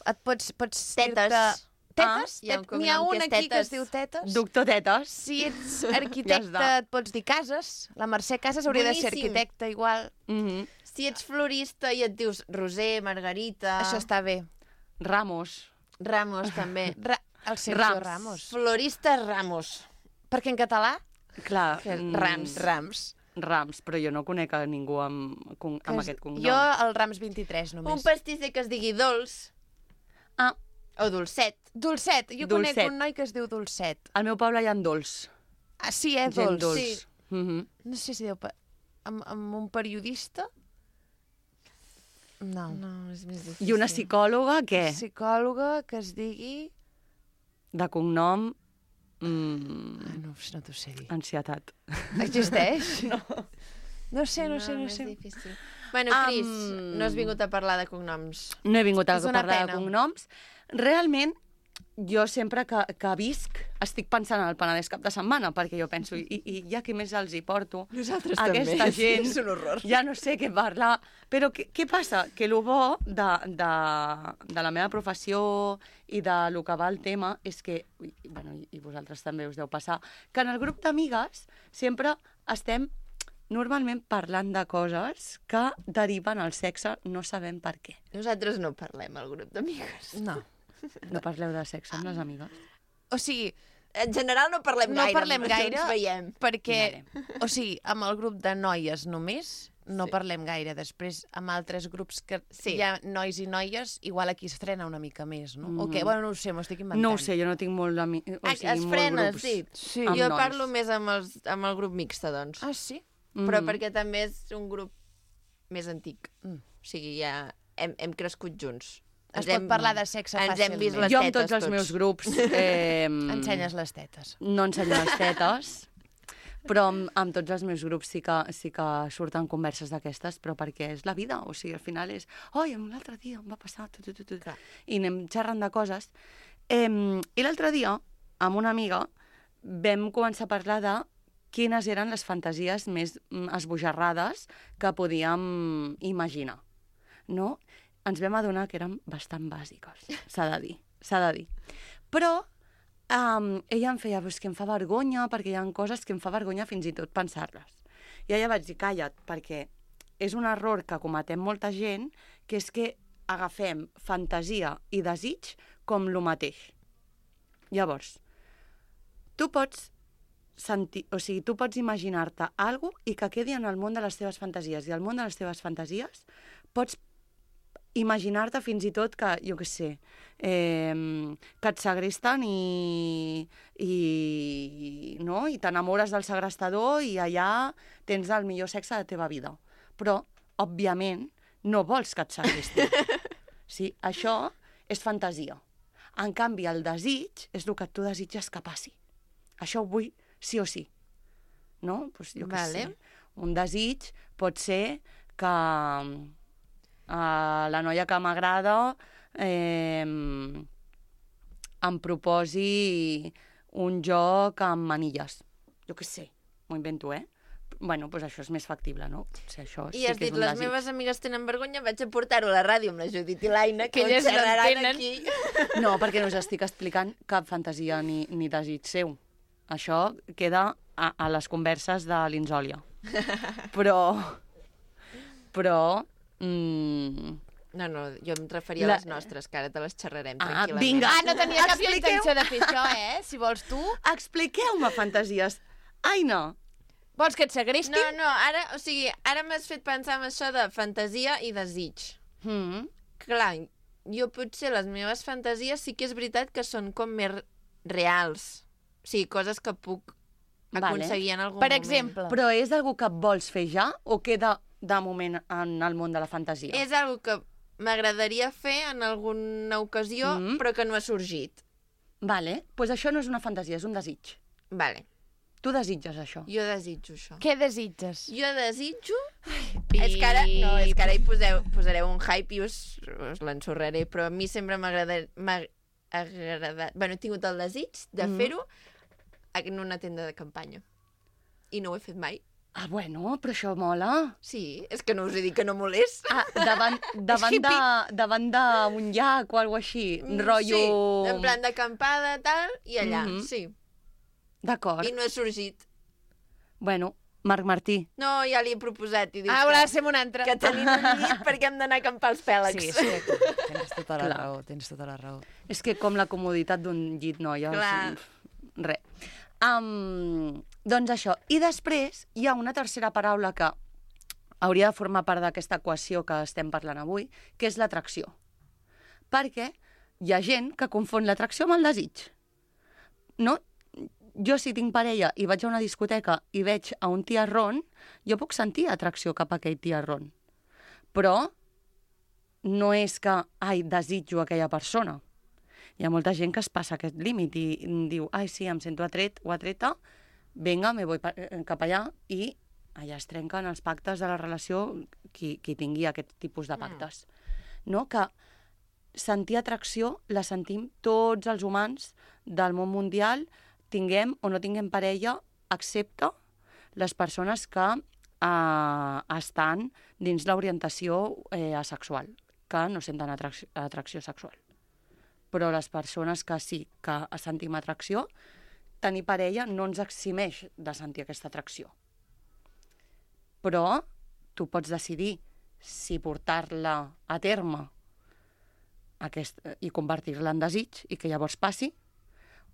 Et pots Tetes. dir-te... Tetes? hi ha un N'hi ha cognom que un és aquí que es Tetes. diu Tetes? Doctor Tetes. Si ets Ja arquitecte, està. et pots dir Cases. La Mercè Cases hauria de ser Boníssim. arquitecta igual. Mhm. Si ets florista i et dius Roser, Margarita... Això està bé. Ramos. Ramos, també. El Sergio Rams. Ramos. Florista Ramos. Perquè en català, Clar, Rams. Rams, però jo no conec a ningú amb aquest cognom. Jo el Rams 23 només. Un pastisser que es digui Dolç. Ah. O Dolcet. Dolcet. Jo Dolcet. conec un noi que es diu Dolcet. Al meu poble hi ha dolç. Ah, sí, Gent Dolç. dolç. Sí. Mhm. No sé si deu... Amb un periodista? No. No, és més difícil. I una psicòloga, què? Psicòloga que es digui... De cognom... No t'ho sé dir. Ansietat. Existeix? No. No sé. És difícil. Bueno, Cris, no has vingut a parlar de cognoms. No he vingut a És una parlar de pena. cognoms. Realment, jo sempre que visc estic pensant en el Penedès cap de setmana, perquè jo penso, i ja què més els hi porto? Nosaltres Aquesta també. gent, És un horror. ja no sé què parlar. Però què passa? Que el bo de la meva professió i de lo que va el tema és que, bueno, i vosaltres també us deu passar, que en el grup d'amigues sempre estem normalment parlant de coses que deriven al sexe, no sabem per què. Nosaltres no parlem al grup d'amigues. No. No parleu de sexe amb les amigues? O sigui, En general no parlem no gaire. parlem només gaire ens veiem. perquè, o sigui, amb el grup de noies només no parlem gaire. Després, amb altres grups que Sí. hi ha nois i noies, igual aquí es frena una mica més, no? O què? Bueno, no ho sé, m'ho estic inventant. No ho sé, jo no tinc molt Es frena, sí. Sí. amb Jo nois. parlo més amb el grup mixte, doncs. Ah, sí? Però perquè també és un grup més antic. Mm. O sigui, ja hem crescut junts. Es pot parlar de sexe ens hem vist fàcilment. les Jo amb tetes tots els meus grups... Ensenyes les tetes. No ensenyo les tetes, però amb tots els meus grups sí que surten converses d'aquestes, però perquè és la vida, o sigui, al final és oi, l'altre dia em va passar, i anem xerrant de coses. I l'altre dia, amb una amiga, vam començar a parlar de quines eren les fantasies més esbojarrades que podíem imaginar, no? Ens vam adonar que eren bastant bàsiques, s'ha de dir. Però ella em feia, que em fa vergonya, perquè hi ha coses que em fa vergonya fins i tot pensar-les. I ella vaig dir, calla't, perquè és un error que cometem molta gent, que és que agafem fantasia i desig com lo mateix. Llavors, tu pots sentir, o sigui, tu pots imaginar-te alguna cosa i que quedi en el món de les teves fantasies. I al món de les teves fantasies pots imaginar-te fins i tot que, jo què sé, que et segresten i t'enamores del segrestador i allà tens el millor sexe de la teva vida. Però, òbviament, no vols que et segrestin. Sí, això és fantasia. En canvi, el desig és el que tu desitges que passi. Això ho vull sí o sí. No? Pues jo què sé. Un desig pot ser que la noia que m'agrada em proposi un joc amb manilles. Jo què sé, m'ho invento, Bueno, doncs això és més factible, no? Potser això I sí has que és dit, un les desig. meves amigues tenen vergonya, vaig a portar-ho a la ràdio amb la Judit i l'Aina, que elles no xerraran entenen. aquí. No, perquè no us estic explicant cap fantasia ni desig seu. Això queda a les converses de l'Insòlia. Però... No, jo em referia a les nostres, que ara te les xerrarem tranquil·lament. vinga. Ah, no tenia cap Expliqueu. intenció de fer això, Si vols tu. Expliqueu-me fantasies. Aina, Vols que et segrestin? No, ara m'has fet pensar en això de fantasia i desig. Clar, jo potser les meves fantasies sí que és veritat que són com més reals. O sigui, coses que puc aconseguir en algun Per moment. exemple. però és algú que vols fer ja o queda de moment en el món de la fantasia? És algo que m'agradaria fer en alguna ocasió, però que no ha sorgit. Vale, doncs això no és una fantasia, és un desig. Vale, Tu desitges això. jo desitjo això. Què desitges? Jo desitjo... És que ara hi posareu un hype i us l'ensorraré, però a mi sempre m'ha agradat... Bueno, he tingut el desig de fer-ho en una tenda de campanya. I no ho he fet mai. Ah, bueno, però això mola. Sí, és que no us he dit que no molés. Ah, davant d'un llac o alguna així, rotllo... Sí, en plan d'acampada, tal, i allà, sí. D'acord. I no he sorgit. Bueno, Marc Martí. No, ja li he proposat i dic Haurà de ser un altre. que tenim un llit perquè hem d'anar a acampar els pèlegs. Sí, tens tota la raó, tens tota la raó. És que com la comoditat d'un llit, noies. Clar. Res. Doncs això. I després hi ha una tercera paraula que hauria de formar part d'aquesta equació que estem parlant avui, que és l'atracció. Perquè hi ha gent que confon l'atracció amb el desig. No? Jo, si tinc parella i vaig a una discoteca i veig a un tiarrón, jo puc sentir atracció cap a aquell tiarrón. Però no és que, desitjo aquella persona. Hi ha molta gent que es passa aquest límit i diu, sí, em sento atret o atreta, vinga, me voy cap allà, i allà es trenquen els pactes de la relació qui tingui aquest tipus de pactes. No? Que sentir atracció la sentim tots els humans del món mundial, tinguem o no tinguem parella, excepte les persones que estan dins l'orientació asexual, que no senten atracció sexual. Però les persones que sí que sentim atracció, tenir parella no ens eximeix de sentir aquesta atracció. Però tu pots decidir si portar-la a terme i convertir-la en desig i que llavors passi,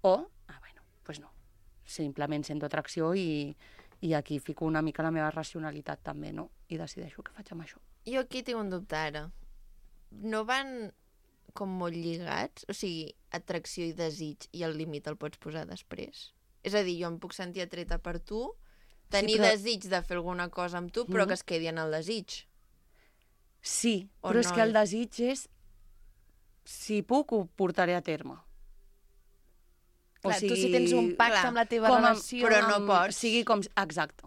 o doncs no, simplement sento atracció i aquí fico una mica la meva racionalitat també, no? I decideixo què faig amb això. Jo aquí tinc un dubte ara. No van com molt lligats? O sigui, atracció i desig i el límit el pots posar després? És a dir, jo em puc sentir atreta per tu, tenir desig de fer alguna cosa amb tu, però que es quedi en el desig. Sí, però és que el desig és si puc ho portaré a terme. Clar, tu si tens un pacte amb la teva relació... Però no pots. Sigui com... Exacte.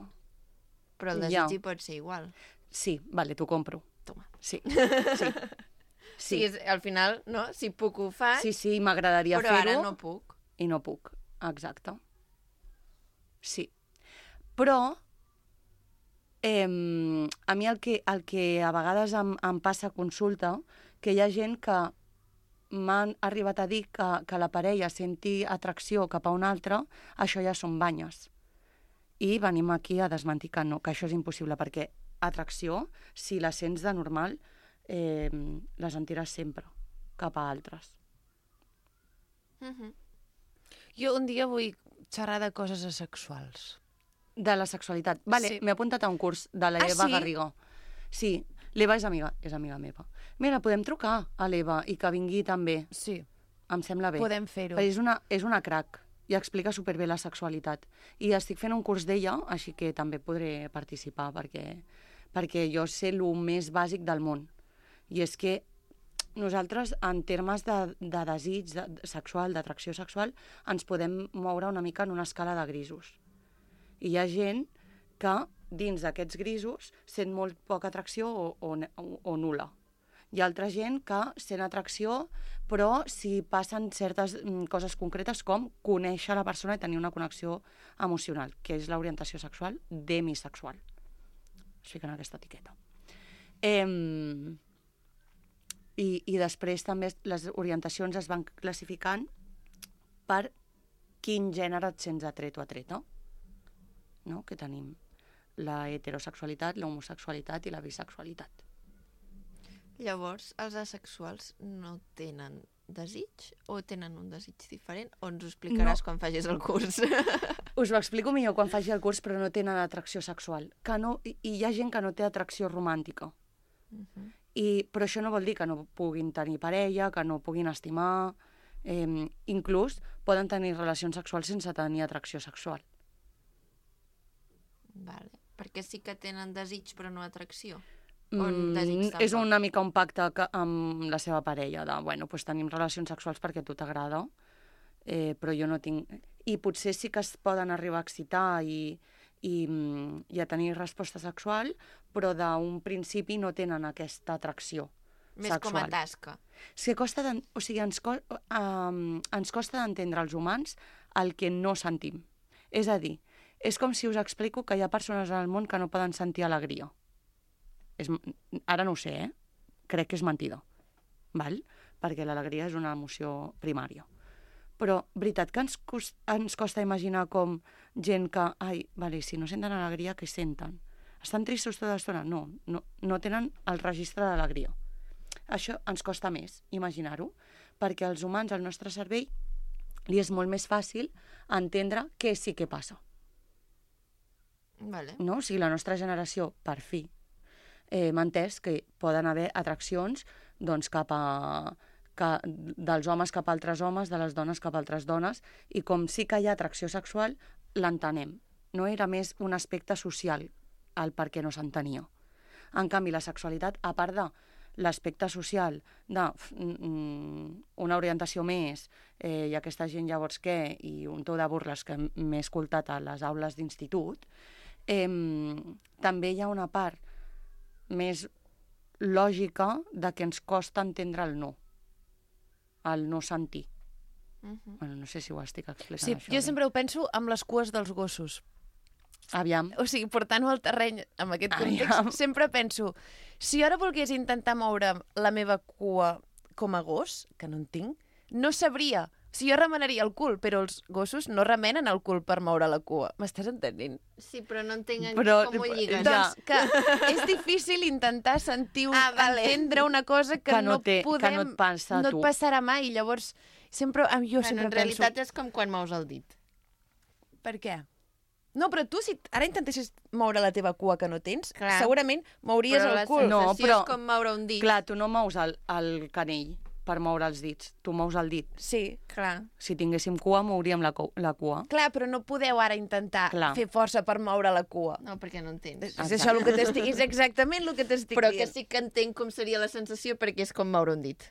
Però el desig hi pot ser igual. Sí, vale, t'ho compro. Toma. Sí. Sí, al final, no? Si puc ho faig... Sí, m'agradaria fer-ho. Però ara no puc. I no puc, exacte. Sí. Però a mi el que a vegades em passa a consulta, que hi ha gent que m'han arribat a dir que la parella senti atracció cap a un altre, això ja són banyes. I venim aquí a desmentir que no, que això és impossible, perquè atracció, si la sents de normal, la sentiràs sempre cap a altres. Jo un dia vull xerrar de coses asexuals. De la sexualitat. Vale, m'he apuntat a un curs de l'Eva Garriga. Sí, l'Eva és amiga meva. Mira, podem trucar a l'Eva i que vingui també. Sí. Em sembla bé. Podem fer-ho. Perquè és una crac i explica superbé la sexualitat. I estic fent un curs d'ella, així que també podré participar, perquè jo sé el més bàsic del món. I és que nosaltres, en termes de desig sexual, d'atracció sexual, ens podem moure una mica en una escala de grisos. I hi ha gent que dins d'aquests grisos sent molt poca atracció o nul·la. Hi ha altra gent que sent atracció, però si passen certes coses concretes com conèixer la persona i tenir una connexió emocional, que és l'orientació sexual demisexual. Es fica en aquesta etiqueta. I després també les orientacions es van classificant per quin gènere et sents atret o atreta. No? Que tenim la heterosexualitat, l'homosexualitat i la bisexualitat. Llavors, els asexuals no tenen desig o tenen un desig diferent? O ens ho explicaràs quan facis el curs? Us ho explico millor quan faci el curs, però no tenen atracció sexual. I hi ha gent que no té atracció romàntica. Però això no vol dir que no puguin tenir parella, que no puguin estimar. Inclús poden tenir relacions sexuals sense tenir atracció sexual. Vale. Perquè sí que tenen desig però no atracció? És una mica un pacte amb la seva parella de, bueno, doncs tenim relacions sexuals perquè a tu t'agrada però jo no tinc... I potser sí que es poden arribar a excitar i a tenir resposta sexual, però d'un principi no tenen aquesta atracció Més sexual. com a tasca. Sí, ens costa d'entendre als humans el que no sentim. És a dir, és com si us explico que hi ha persones en el món que no poden sentir alegria. Ara no ho sé, crec que és mentida, val? Perquè l'alegria és una emoció primària. Però, veritat, que ens costa imaginar com gent que, si no senten alegria, què senten? Estan tristos tota l'estona? No tenen el registre d'alegria. Això ens costa més imaginar-ho, perquè als humans, al nostre cervell, li és molt més fàcil entendre què sí que passa. Vale. No? O sigui, la nostra generació, per fi, m'ha entès que poden haver atraccions doncs, dels homes cap a altres homes, de les dones cap a altres dones, i com sí que hi ha atracció sexual, l'entenem. No era més un aspecte social el per què no s'entenia. En canvi, la sexualitat, a part de l'aspecte social d'una orientació més, i aquesta gent llavors què, i un to de burles que m'he escoltat a les aules d'institut, també hi ha una part més lògica de que ens costa entendre el no sentir. Bueno, no sé si ho estic explicant, Sí, això. jo sempre ho penso amb les cues dels gossos. Aviam. O sigui, portant-ho al terreny amb aquest context, sempre penso, si ara volgués intentar moure la meva cua com a gos, que no en tinc, no sabria. Si jo remenaria el cul, però els gossos no remenen el cul per moure la cua. M'estàs entenent? Sí, però no entenc Però, com ho lligues. Doncs que és difícil intentar sentir, entendre una cosa que no et passa a no tu. et passarà mai. Llavors, jo sempre en realitat és com quan mous el dit. Per què? No, però tu, si ara intentessis moure la teva cua que no tens, Clar. segurament mouries Però el la cul. sensació és com moure un dit. Clar, tu no mous el canell per moure els dits, tu mous el dit. Sí, Clar. Si tinguéssim cua, mouríem la cua. clar, però no podeu ara intentar Clar. fer força per moure la cua. No, perquè no entens. És això el que és exactament el que t'estic Però dient. que sí que entenc com seria la sensació perquè és com moure un dit.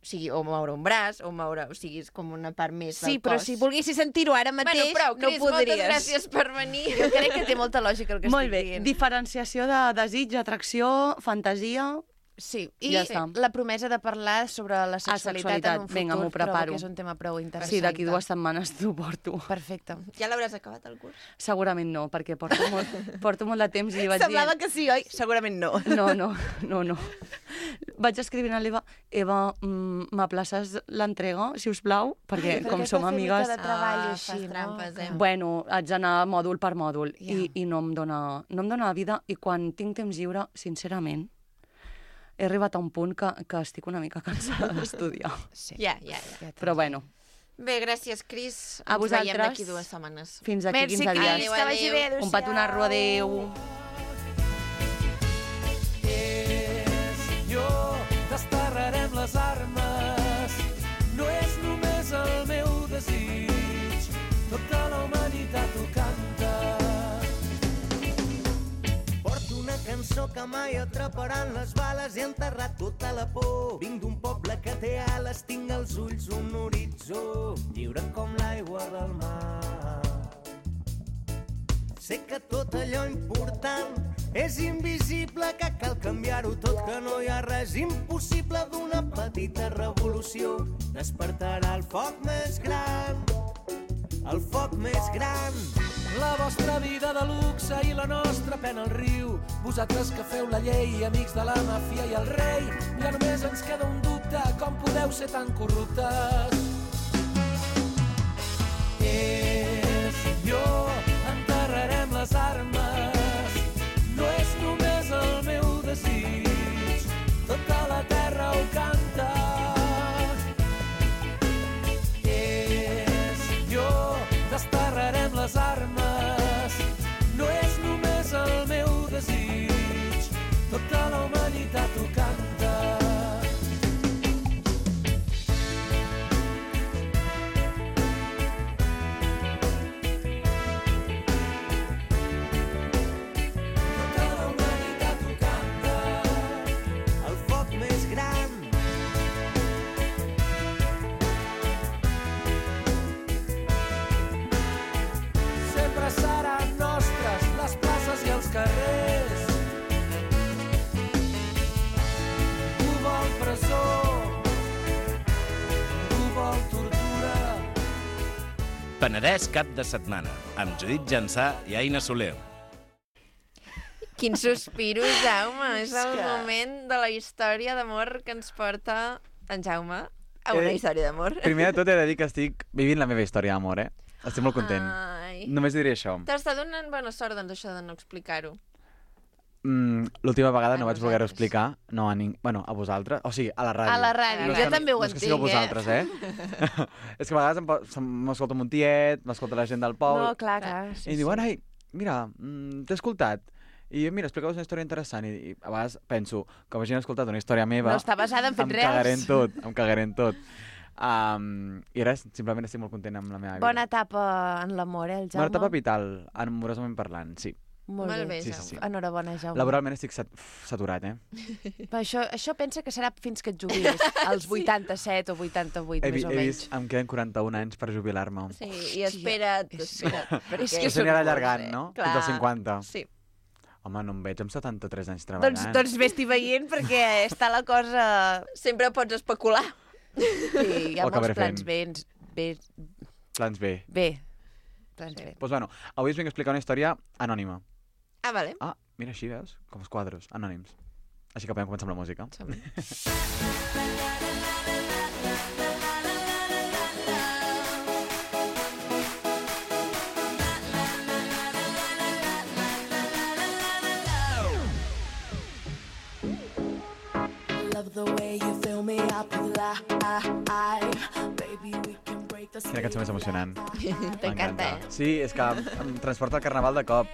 O sigui, o moure un braç, o sigui, és com una part més del Sí, però cos. si volguessis sentir-ho ara mateix, prou, no Cris, ho podries. moltes gràcies per venir. Jo crec que té molta lògica el que Molt estic bé, dient. diferenciació de desig, atracció, fantasia... Sí, i Ja està. la promesa de parlar sobre la sexualitat en un futur, Vinga, m'ho preparo. trobo que és un tema prou interessant. Sí, d'aquí 2 setmanes t'ho porto. Perfecte. Ja l'hauràs acabat, el curs? Segurament no, perquè porto molt de temps i li vaig Semblava dir... que sí, oi? Segurament no. No. Vaig escrivint a l'Eva, m'aplaces l'entrega, si us plau, perquè com som amigues... de treball fas així, trampes, no? Bueno, haig d'anar mòdul per mòdul Ja. i no em dóna la vida, i quan tinc temps lliure, sincerament, he arribat a un punt que estic una mica cansada d'estudiar. Sí. Ja. Però bueno, Bé, gràcies, Cris. A Ens veiem vosaltres. d'aquí 2 setmanes. fins aquí Merci, 15 Cris, dies. que vagi bé. Un petonarro, adéu. Senyor, desterrarem les armes. No és només el meu desig, tota la humanitat ho canta. Porto una cançó que mai atraparan les bales, he enterrat tota la por. Vinc d'un poble que té ales, tinc als ulls un horitzó, lliure com l'aigua del mar. Sé que tot allò important és invisible, que cal canviar-ho tot, que no hi ha res impossible. D'una petita revolució despertarà el foc més gran, el foc més gran. La vostra vida de luxe i la nostra pena al riu. Vosaltres que feu la llei, amics de la màfia i el rei. Ja només ens queda un dubte, com podeu ser tan corruptes? Jo enterrarem les armes, no és només el meu desig, tota la terra ho canta. Desterrarem les armes, no és només el meu desig, tota la humanitat ho canta. Penedès cap de setmana, amb Judit Jansà i Aina Soler. Quin sospiro, Jaume. És el moment de la història d'amor que ens porta en Jaume a una història d'amor. Primer de tot he de dir que estic vivint la meva història d'amor, Estic molt content. Només diré això. T'està donant bona sort, doncs, això de no explicar-ho. L'última vegada no vaig voler-ho explicar, no a vosaltres, o sigui, a la ràdio. A la ràdio, jo també ho entenc, No és que sigueu vosaltres, És que a vegades m'escolta un tiet, m'escolta la gent del poble... No, clar. I diuen, ai, mira, t'he escoltat. I mira, explica-vos una història interessant. I a vegades penso, com hagin escoltat una història meva... No està basada en fets reals. Em cagaré en tot. I res, simplement estic molt content amb la meva vida. Bona etapa en l'amor, el Jaume? Bona etapa vital, amorosament parlant, sí. Molt bé, sí. Enhorabona, Jaume. Laboralment estic saturat, Però això pensa que serà fins que et jubilis, als 87 o 88, més o menys. He vist, em queden 41 anys per jubilar-me. Sí, i espera't. És que s'anirà allargant, no? Fins als 50. Sí. Home, no em veig amb 73 anys treballant. Doncs vés-t'hi veient, perquè està la cosa... Sempre pots especular. Sí, hi ha molts plans B. Plans B. Doncs bueno, avui us vinc a explicar una història anònima. Ah, vale. Ah, mira, així veus? Com els quadros, anònims. Així que podem començar amb la música. Quina cançó més emocionant. T'encanta, Sí, és que em transporta al carnaval de cop.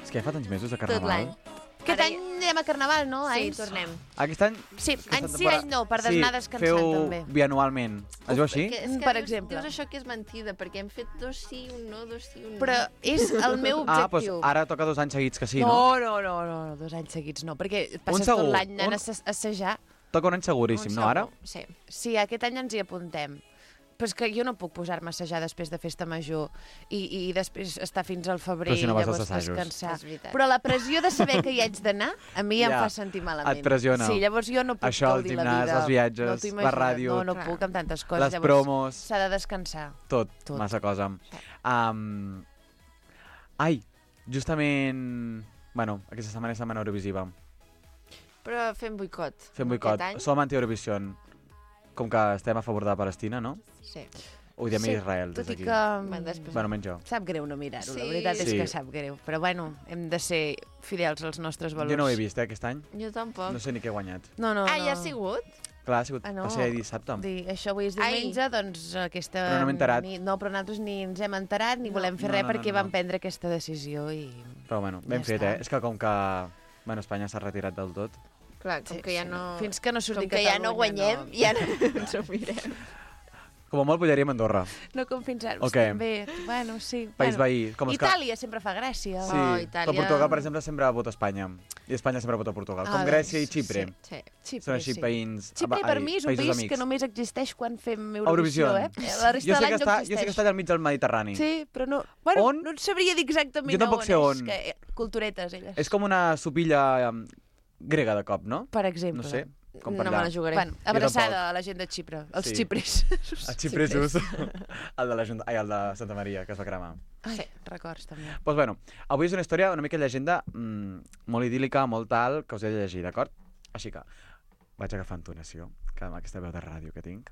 És que ja fa tants mesos de carnaval. Tot l'any. Aquest any anem a carnaval, no? Sí, tornem. Aquest any? Sí, any sí, any no, per anar descansant també. Sí, feu bianualment. Es veu així? Per exemple. Dius això que és mentida, perquè hem fet 2 sí, un no, 2 sí, un no. Però és el meu objectiu. Doncs ara toca 2 anys seguits que sí, no? No, 2 anys seguits no, perquè passes tot l'any anant a assajar. Toca un any seguríssim, no, ara? Sí, aquest any ens hi apuntem. Però és que jo no puc posar-me a assajar després de festa major i després estar fins al febrer i llavors descansar. Però la pressió de saber que hi haig d'anar, a mi em fa sentir malament. Et pressiona. Sí, llavors jo no puc gaudir la vida. Això, el gimnàs, els viatges, la ràdio... No puc amb tantes coses. Les promos... S'ha de descansar. Tot, massa cosa. Ai, justament... Bueno, aquesta setmana és setmana Eurovisiva. Però fem boicot. Fem boicot. Som anti-Eurovision. Com que estem a favor de Palestina, no? Sí. Odiem Israel, des d'aquí. Bueno, menys jo. Sap greu no mirar-ho, la veritat és que sap greu. Però bueno, hem de ser fidels als nostres valors. Jo no ho he vist, aquest any. Jo tampoc. No sé ni què he guanyat. No. Ja ha sigut? Clar, ha sigut. Va ser dissabte. Això avui és diumenge, doncs aquesta... Però no m'he enterat. No, però nosaltres ni ens hem enterat, ni volem fer res perquè vam prendre aquesta decisió i... Però bueno, ben fet, És que com que... Bueno, Espanya s'ha retirat del tot. Clar, com que ja no... Fins que no surti Catalunya, com que ja no guanyem, ja no ens ho mirem. Com a molt pujaríem a Andorra. No com fins ara. També, bueno, sí. País veí. Itàlia sempre fa gràcia. Sí, però Portugal, per exemple, sempre vota Espanya. I Espanya sempre vota Portugal. Com Grècia i Xipre. Són així veïns... Xipre per mi és un país que només existeix quan fem Eurovisió, La resta de l'any no existeix. Jo sé que està allà al mig del Mediterrani. Sí, però no... Bueno, no et sabria dir exactament on és. Jo tampoc sé on. Culturetes, elles. És com una sopilla... grega de cop, no? Per exemple. No sé, com per allà. No me la jugaré. Bueno, abraçada a la gent de Xipre, els xipres. Els xipresos. El de Santa Maria, que es va cremar. Sí, records també. Doncs bueno, avui és una història una mica llegenda molt idíl·lica, molt tal, que us he de llegir, d'acord? Així que vaig agafar entonació, que amb aquesta veu de ràdio que tinc.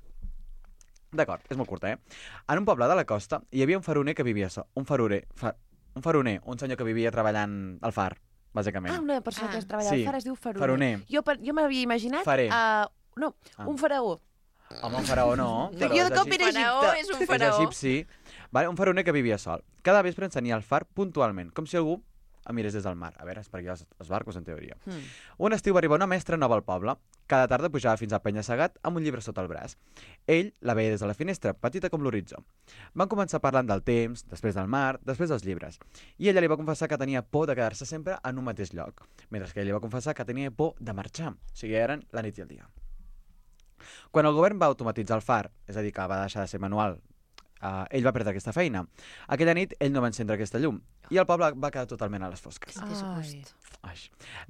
D'acord, és molt curta, En un poble de la costa hi havia un faroner que vivia sol. Un senyor que vivia treballant al far, bàsicament. Una persona que es treballa al far es diu faroner. Jo m'havia imaginat... un faraó. Home, un faraó no. Jo de cop era Egipte. Faraó és un faraó. És egipci. Un faroner que vivia sol. Cada vespre encenia el far puntualment, com si algú el mirés des del mar. A veure, és per aquí els barcos, en teoria. Un estiu va arribar una mestra nova al poble. Cada tarda pujava fins al penya-segat amb un llibre sota el braç. Ell la veia des de la finestra, petita com l'horitzó. Van començar parlant del temps, després del mar, després dels llibres. I ella li va confessar que tenia por de quedar-se sempre en un mateix lloc, mentre que ell li va confessar que tenia por de marxar. O sigui, eren la nit i el dia. Quan el govern va automatitzar el far, és a dir, que va deixar de ser manual, ell va perdre aquesta feina. Aquella nit ell no va encendre aquesta llum i el poble va quedar totalment a les fosques.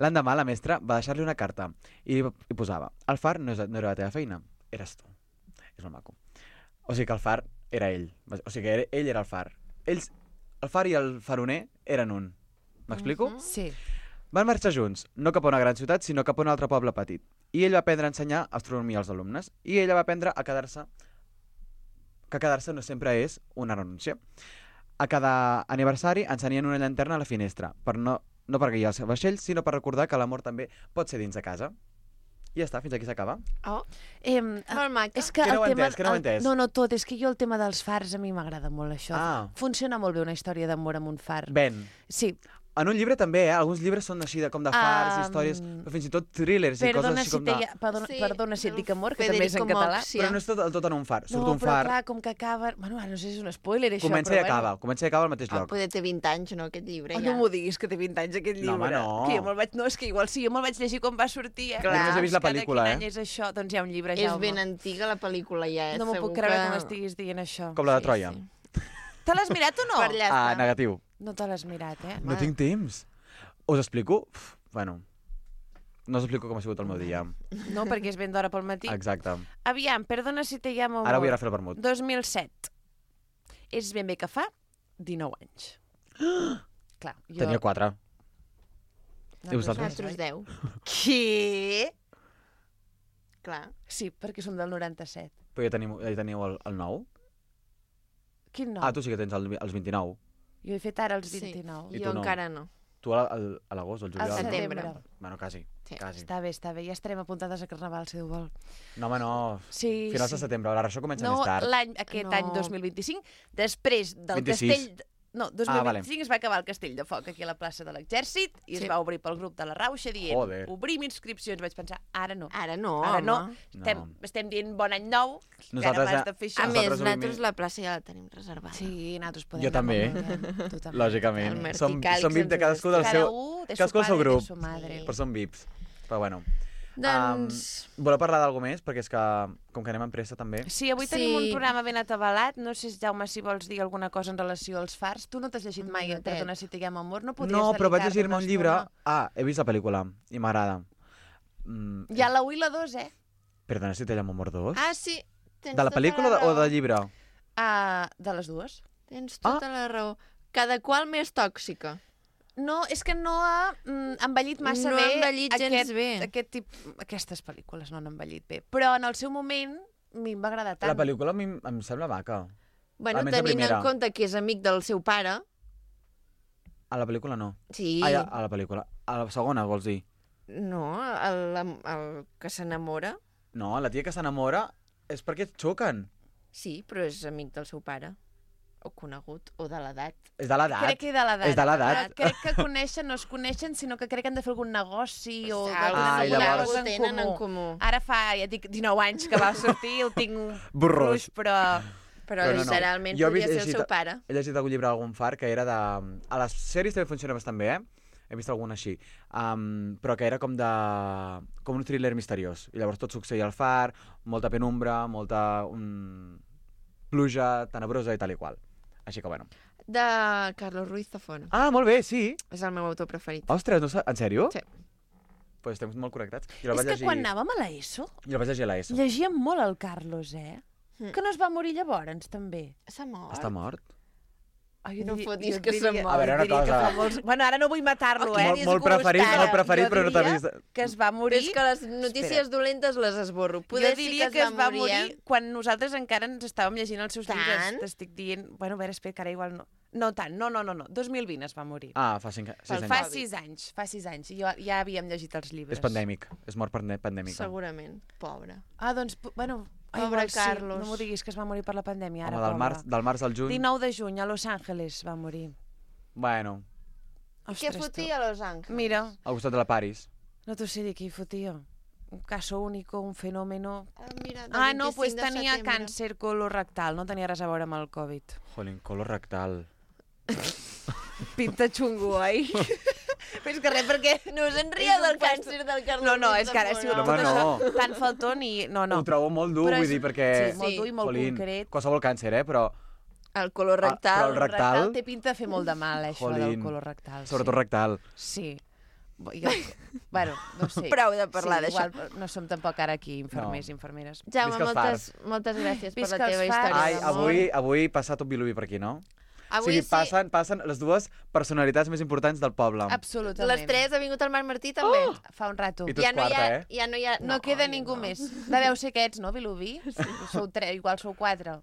L'endemà la mestra va deixar-li una carta i posava: el far no era la teva feina, eres tu. És molt maco. O sigui que el far era ell. O sigui, ell era el far. El far i el faroner eren un. M'explico? Sí. Van marxar junts, no cap a una gran ciutat, sinó cap a un altre poble petit. I ell va aprendre a ensenyar astronomia als alumnes. I ella va aprendre a quedar-se... que quedar-se no sempre és una renúncia. A cada aniversari encenien una llanterna a la finestra, no per guiar els vaixells, sinó per recordar que l'amor també pot ser dins de casa. I ja està, fins aquí s'acaba. Molt maca. És que Que no ho he el tema... entès, que no ho he entès. No, tot. És que jo el tema dels fars a mi m'agrada molt, això. Ah. Funciona molt bé una història d'amor amb un far. Ben. Sí. En un llibre també, Alguns llibres són així com de fars, històries, però fins i tot thrillers i coses així com de... Perdona si et dic amor, que també és en català. Però no és tot en un far. Surt un però far... clar, com que acaba... Bueno, no sé si és un spoiler, això, Comença i acaba al mateix lloc. Poder té 20 anys, no, aquest llibre, ja. No m'ho diguis, que té 20 anys, aquest llibre. No, home, no. Que jo me'l vaig... No, és que igual sí, jo me'l vaig llegir quan va sortir, Clar. Jo només he vist la pel·lícula, Quin any és això? Doncs hi ha un llibre, És Jaume. ben antiga la pel·lícula, ja, No m'ho puc creure que m'estiguis dient això. Com la de Troia. Te l'has mirat o no? Per allà està. Negatiu. No te l'has mirat, No tinc temps. Us explico? Bueno, no us explico com ha sigut el meu dia. No, perquè és ben d'hora pel matí. Exacte. Aviam, perdona si te llamo... Ara vull anar a fer el vermut. 2007. És ben bé que fa 19 anys. Clar, jo... Tenia 4. I vosaltres? Nosaltres 10. Què? Clar. Sí, perquè som del 97. Però ja teniu el 9? Quin 9? Ah, tu sí que tens els 29. Jo he fet ara els 29. I Jo tu no. encara no. Tu a l'agost o al juliol? Al setembre. No? Bueno, quasi. Sí. Quasi. Està bé. Ja estarem apuntades a Carnaval, si Déu vol. No, home, no. Sí, Finals de sí. setembre. La ressò comença No, més tard. aquest any 2025, després del 26. castell... No, 2025 vale. es va acabar el Castell de Foc aquí a la plaça de l'Exèrcit i es va obrir pel grup de la Rauxa dient Joder. obrim inscripcions. Vaig pensar, ara no. Ara no, Ara no. home. Estem dient bon any nou, que ara Nosaltres m'has de fer això. A més, nosaltres la plaça ja la tenim reservada. Sí, nosaltres podem Jo també. Tu també. Lògicament. El Martí Som Càlix VIP de ens cadascú del Cada seu... u de su Cadascú del seu padre, grup. de su madre. Però som VIPs. Però bueno. Doncs... Voleu parlar d'algú més? Perquè és que, com que anem amb pressa també... Sí, avui tenim un programa ben atabalat. No sé, Jaume, si vols dir alguna cosa en relació als fars. Tu no t'has llegit mai, Perdona si te llamo amor. No podries No, però vaig dedicar-te llegir-me una un llibre... estona? He vist la pel·lícula i m'agrada. Hi ha la 1 i la 2, Perdona si te llamo amor 2? Ah, sí. Tens De la tota pel·lícula o raó. del llibre? De les dues. Tens tota la raó. Cada qual més tòxica. No, és que no ha envellit massa No bé. ha envellit gens bé. Aquestes pel·lícules no han envellit bé. Però en el seu moment a mi em va agradar tant. La pel·lícula a mi em sembla maca. Bueno, Almenys la tenint primera. en compte que és amic del seu pare... A la pel·lícula no. Sí. Ah, ja, a la pel·lícula. A la segona, vols dir? No, el que s'enamora. No, la tia que s'enamora és perquè es xoquen. Sí, però és amic del seu pare. O conegut, o de l'edat. És de l'edat. Crec que de l'edat. És de l'edat. Crec que coneixen, no es coneixen, sinó que crec que han de fer algun negoci o Ah, i llavors... Ho tenen en comú. Ara fa, ja dic, 19 anys que va sortir, el tinc Borrós. però Però literalment podria ser el seu pare. He llegit algun llibre d'algun far que era de... A les sèries també funciona bastant bé, He vist algun així. Però que era com un thriller misteriós. I llavors tot succeïa al far, molta penumbra, molta pluja tenebrosa i tal i qual. Així que, bueno. De Carlos Ruiz Zafón. Ah, molt bé, sí. És el meu autor preferit. Ostres, no en sèrio? Sí. Pues estem molt connectats. És que quan anàvem a l'ESO... Jo el vaig llegir a l'ESO. Llegíem molt el Carlos, Que no es va morir llavors, també. S'ha mort. Està mort? Ai, no fotis que s'ha mort. A veure, una cosa... Bueno, ara no vull matar-lo, Molt preferit, però no t'ha vist... Que es va morir... És que les notícies dolentes les esborro. Jo diria que es va morir quan nosaltres encara ens estàvem llegint els seus llibres. T'estic dient... Bueno, a veure, espera, que ara igual no... No tant, no. 2020 es va morir. Ah, fa 6 anys. Fa 6 anys, fa 6 anys. I ja havíem llegit els llibres. És pandèmic, és mort pandèmica. Segurament, pobre. Ah, doncs, bueno... Pobre Carlos. No m'ho diguis, que es va morir per la pandèmia. Ara, home, del març al juny... 19 de juny, a Los Angeles va morir. Bueno. Què fotia a Los Angeles? Mira. Al costat de la Paris. No t'ho sé dir qui fotia. Un caso único, un fenómeno... Mira, no, pues tenia càncer colorectal, no tenia res a veure amb el Covid. Jolín, colorectal. Pinta xungo, oi? Més que res, perquè... No us en ria del càncer del Carlos. No, és que ara ha sigut tot això tan faltón i... No. Ho trobo molt dur, vull dir, perquè... Sí, molt dur i molt concret. Qualsevol càncer, però... El colorectal. Però el rectal... té pinta de fer molt de mal, això del colorectal. Sobretot rectal. Sí. Bueno, no sé. Prou de parlar d'això. Igual no som tampoc ara aquí infermers i infermeres. Jaume, Visca els fars. moltes gràcies per Visca la teva els fars. història Ai, d'amor. avui passa tot Vilobí per aquí, no? Avui o sigui, passen les dues personalitats més importants del poble. Absolutament. Les tres ha vingut el Marc Martí, també. Fa un rato. I tu ets quarta, eh? Ja no hi ha... No queda ningú més. Deveu ser aquests, no, Vilobí? Sou tres, igual sou quatre.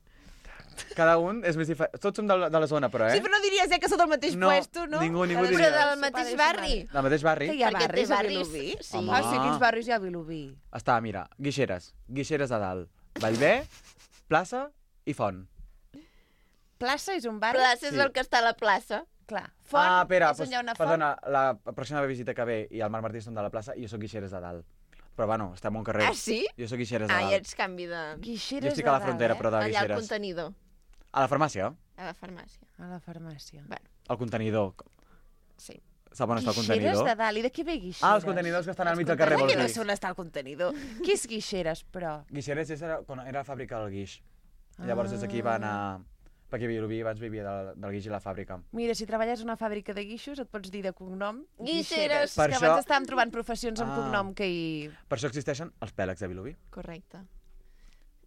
Cada un és més diferent. Tots som de la zona, però, eh? Sí, però no diries que sou del mateix puesto, no? Ningú Però diria. del mateix barri. Del mateix barri? Que hi ha Perquè té barris a barris, Vilobí? sí. Home. Ah, sí, quins barris hi ha a Vilobí? Està, mira, Guixeres de dalt. Vallvé, plaça i Font. Plaça és un barri? Plaça és el que està a la plaça. Clar. Font Espera, és on hi ha una font? perdona, la pròxima visita que ve i el Marc Martí són de la plaça i jo soc Guixeres de dalt. Però bueno, estem a un carrer. Ah, sí? Jo soc Guixeres de Ah, dalt. ja ets canvi de... Guixeres Jo estic a la frontera, però de Allà al Guixeres. contenidor. A la farmàcia? A la farmàcia. A la farmàcia. Bueno, El contenidor. sí. Sap on està el Guixeres contenidor? de dalt. I de què ve Guixeres? Ah, els contenidors que estan al mig del carrer, Com vols que no dir? sé on està el contenidor? Què és Guixeres, però? Guixeres quan era la fàbrica del guix. Llavors des d'aquí va anar... Perquè Vilobí abans vivia del guix i la fàbrica. Mira, si treballes a una fàbrica de guixos et pots dir de cognom Guixeres. És Per que això- abans estàvem trobant professions amb Ah. cognom que hi... Per això existeixen els pèlegs de Vilobí. Correcte.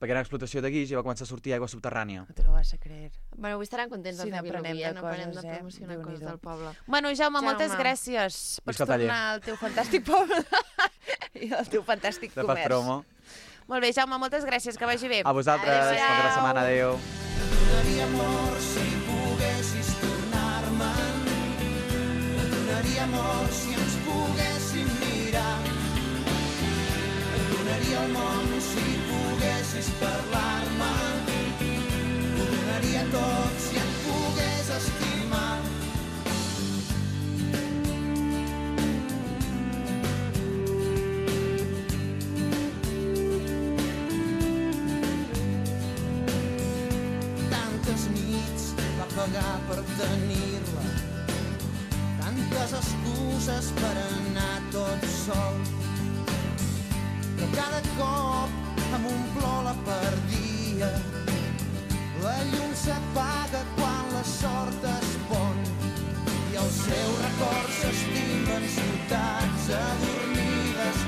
Perquè era explotació de guix i va començar a sortir aigua subterrània. No te lo vas a creer. Bueno, avui estaran contents Sí, els de n'aprenem Vilobí, de no parem de coses, promocionar coses Déu-n'hi-do. del poble. Bueno, Jaume, moltes Jaume. gràcies. Pots Visca el taller. tornar al teu fantàstic poble i al teu fantàstic De pas comerç. promo. Molt bé, Jaume, moltes gràcies, que vagi bé. A vosaltres, Adéu-siau. bona setmana, adéu. Donaria amor si poguessis tornar-me'n. Et donaria amor si ens poguéssim mirar. Et donaria el món si poguessis parlar-me. Ho donaria tot si et pogués estimar. Tantes nits va pagar per tenir-la, tantes excuses per anar tot sol. Però cada cop amb un plor la perdia. La llum s'apaga quan la sort es pon i els seus records s'estimen ciutats adormides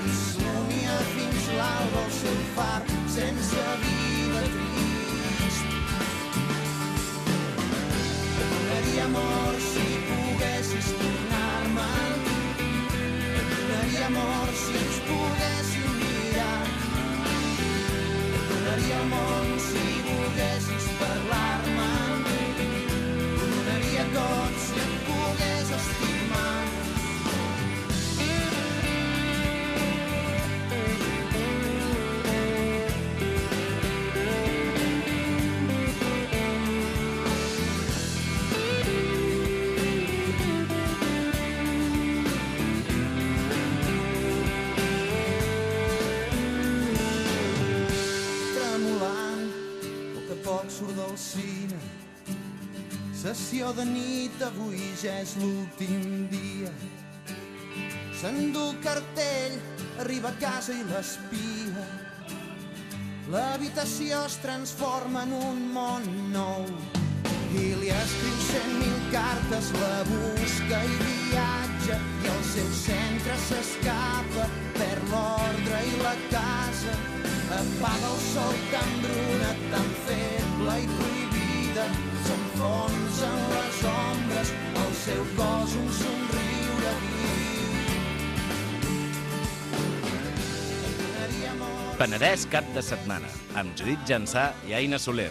i somia fins l'alba el seu far sense vida trist. Et donaria amor si poguessis tornar-me'n. Et donaria amor si ens poguéssim mirar. Et donaria el món si volguessis parlar-me. Ho donaria tot si et pogués estimar. Tremolant, a poc a poc surt del cine. Sessió de nit, avui ja és l'últim dia. S'endú el cartell, arriba a casa i l'espia. L'habitació es transforma en un món nou i li escriu 100.000 cartes, la busca i viatja i al seu centre s'escapa, perd l'ordre i la casa. Apaga el sol tan bruna, tan feble i prohibida, s'enfonsa en les ombres, al seu cos un somriure viu. Penedès cap de setmana, amb Judit Jansà i Aina Soler.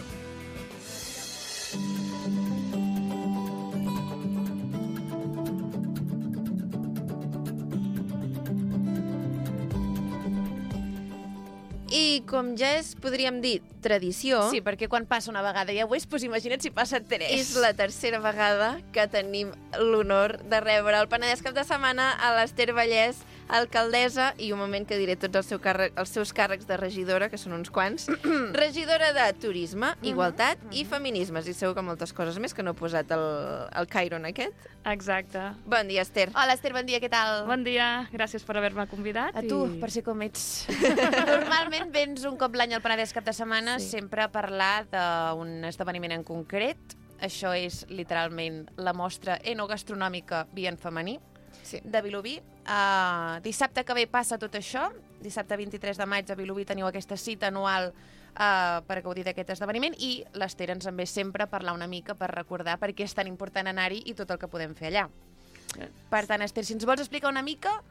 I com ja és, podríem dir, tradició... Sí, perquè quan passa una vegada ja ho és, doncs imagina't si passa tres. És la tercera vegada que tenim l'honor de rebre el Penedès Cap de Setmana a l'Ester Vallès, alcaldessa, i un moment que diré tots els seus càrrecs de regidora, que són uns quants, regidora de Turisme, Igualtat i Feminismes, i segur que moltes coses més que no he posat el Cairo en aquest. Exacte. Bon dia, Ester. Hola, Ester, bon dia, què tal? Bon dia, gràcies per haver-me convidat. A tu, per ser com ets. Normalment vens un cop l'any al Penedès Cap de Setmana, sempre a parlar d'un esdeveniment en concret. Això és literalment la mostra enogastronòmica Via en femení. de Vilobí. Dissabte que ve passa tot això. Dissabte 23 de maig a Vilobí teniu aquesta cita anual per gaudir d'aquest esdeveniment i l'Ester ens en ve sempre a parlar una mica per recordar per què és tan important anar-hi i tot el que podem fer allà. Per tant,Ester, si ens vols explicar una mica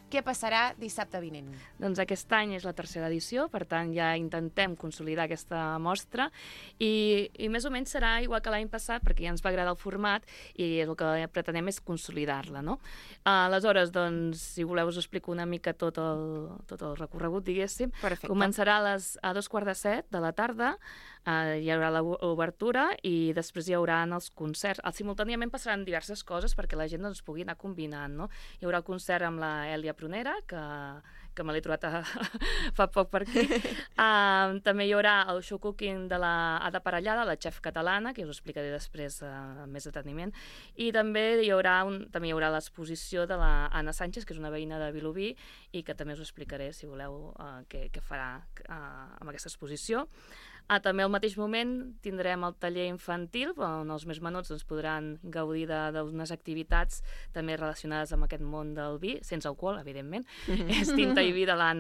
què passarà dissabte vinent. Doncs aquest any és la tercera edició, per tant ja intentem consolidar aquesta mostra i més o menys serà igual que l'any passat perquè ja ens va agradar el format i el que pretenem és consolidar-la, no? Aleshores, doncs, si voleu us explico una mica tot el recorregut, diguéssim. Perfecte. Començarà a 2:45 de la tarda, hi haurà l'obertura i després hi haurà els concerts. Simultàniament passaran diverses coses perquè la gent doncs, pugui anar combinant, no? Hi haurà concert amb la Èlia Prunera, que me l'he trobat fa poc per aquí. També hi haurà el show cooking de la Ada Parellada, la xef catalana, que us explicaré després amb més deteniment. I també hi haurà l'exposició de la Anna Sánchez, que és una veïna de Vilobí, i que també us explicaré, si voleu, què farà amb aquesta exposició. També al mateix moment tindrem el taller infantil, on els més menuts podran gaudir d'unes activitats també relacionades amb aquest món del vi, sense alcohol, evidentment. És Tinta i vi de la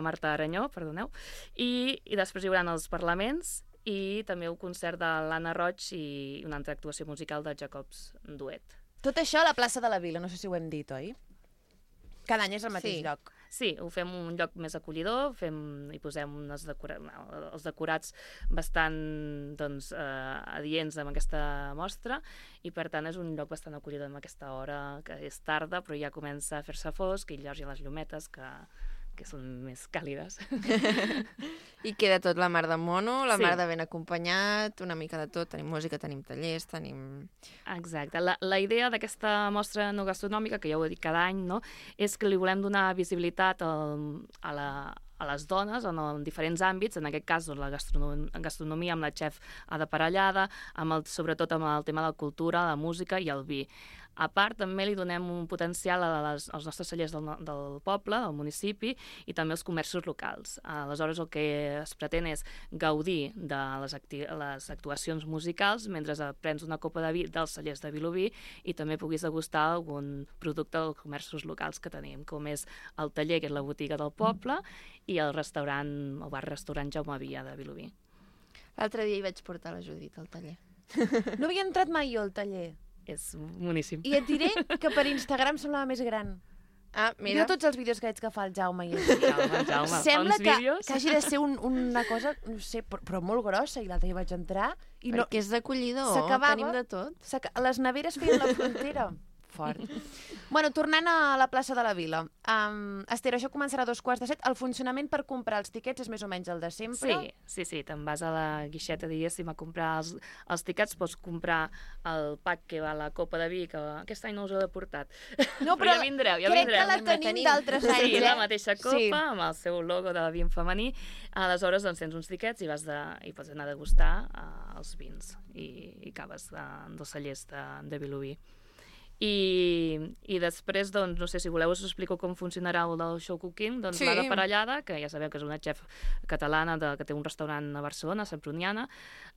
Marta Aranyó, perdoneu. I després hi haurà els parlaments i també un concert de l'Anna Roig i una altra actuació musical de Jacobs Duet. Tot això a la plaça de la Vila, no sé si ho hem dit, oi? Cada any és al mateix lloc. Sí, ho fem un lloc més acollidor, hi posem els decorats bastant adients amb aquesta mostra i per tant és un lloc bastant acollidor amb aquesta hora, que és tarda però ja comença a fer-se fosc i llavors hi ha les llumetes que són més càlides. I queda tot la mar de mono, la mar de ben acompanyat, una mica de tot, tenim música, tenim tallers, tenim... Exacte. La idea d'aquesta mostra no gastronòmica, que ja ho he dit cada any, no, és que li volem donar visibilitat a les dones en diferents àmbits, en aquest cas la gastronomia amb la xef Ada Parellada, sobretot amb el tema de la cultura, la música i el vi. A part, també li donem un potencial als nostres cellers del poble, del municipi, i també als comerços locals. Aleshores, el que es pretén és gaudir de les actuacions musicals mentre prens una copa de vi dels cellers de Vilobí i també puguis degustar algun producte dels comerços locals que tenim, com és el taller, que és la botiga del poble, i el bar-restaurant Jaume Via de Vilobí. L'altre dia hi vaig portar la Judit al taller. No havia entrat mai jo al taller. És boníssim. I et diré que per Instagram semblava més gran. Mira. Jo tots els vídeos que veig que fa el Jaume i Jaume, sembla que hagi de ser una cosa, no sé, però molt grossa, i l'altre dia vaig entrar i no... Perquè és d'acollidor, tenim de tot. Les neveres feien la frontera. Fort. Bueno, tornant a la plaça de la Vila. Ester, això començarà a 2:45. El funcionament per comprar els tiquets és més o menys el de sempre? Sí. Te'n vas a la guixeta, diguéssim, a comprar els tiquets. Pots comprar el pack que va a la copa de vi, que aquest any no us he portat. No, però ja vindreu. Crec que la tenim d'altres anys. Sí, la mateixa copa, amb el seu logo de vi en femení. Aleshores, doncs, tens uns tiquets i pots anar a degustar els vins i caves dels cellers de Vilobí. I després, doncs, no sé si voleu us explico com funcionarà el del show cooking. Doncs l'Ada Parellada, que ja sabeu que és una xef catalana que té un restaurant a Barcelona, a Santpruniana,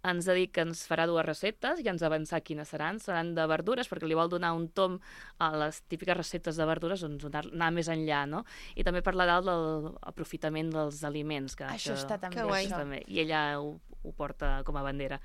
ens ha dit que ens farà 2 receptes i ens avançar quines seran de verdures, perquè li vol donar un tomb a les típiques receptes de verdures, doncs anar més enllà, no? I també parlarà de l'aprofitament dels aliments. Això està també. Que guai. I ella ho porta com a bandera.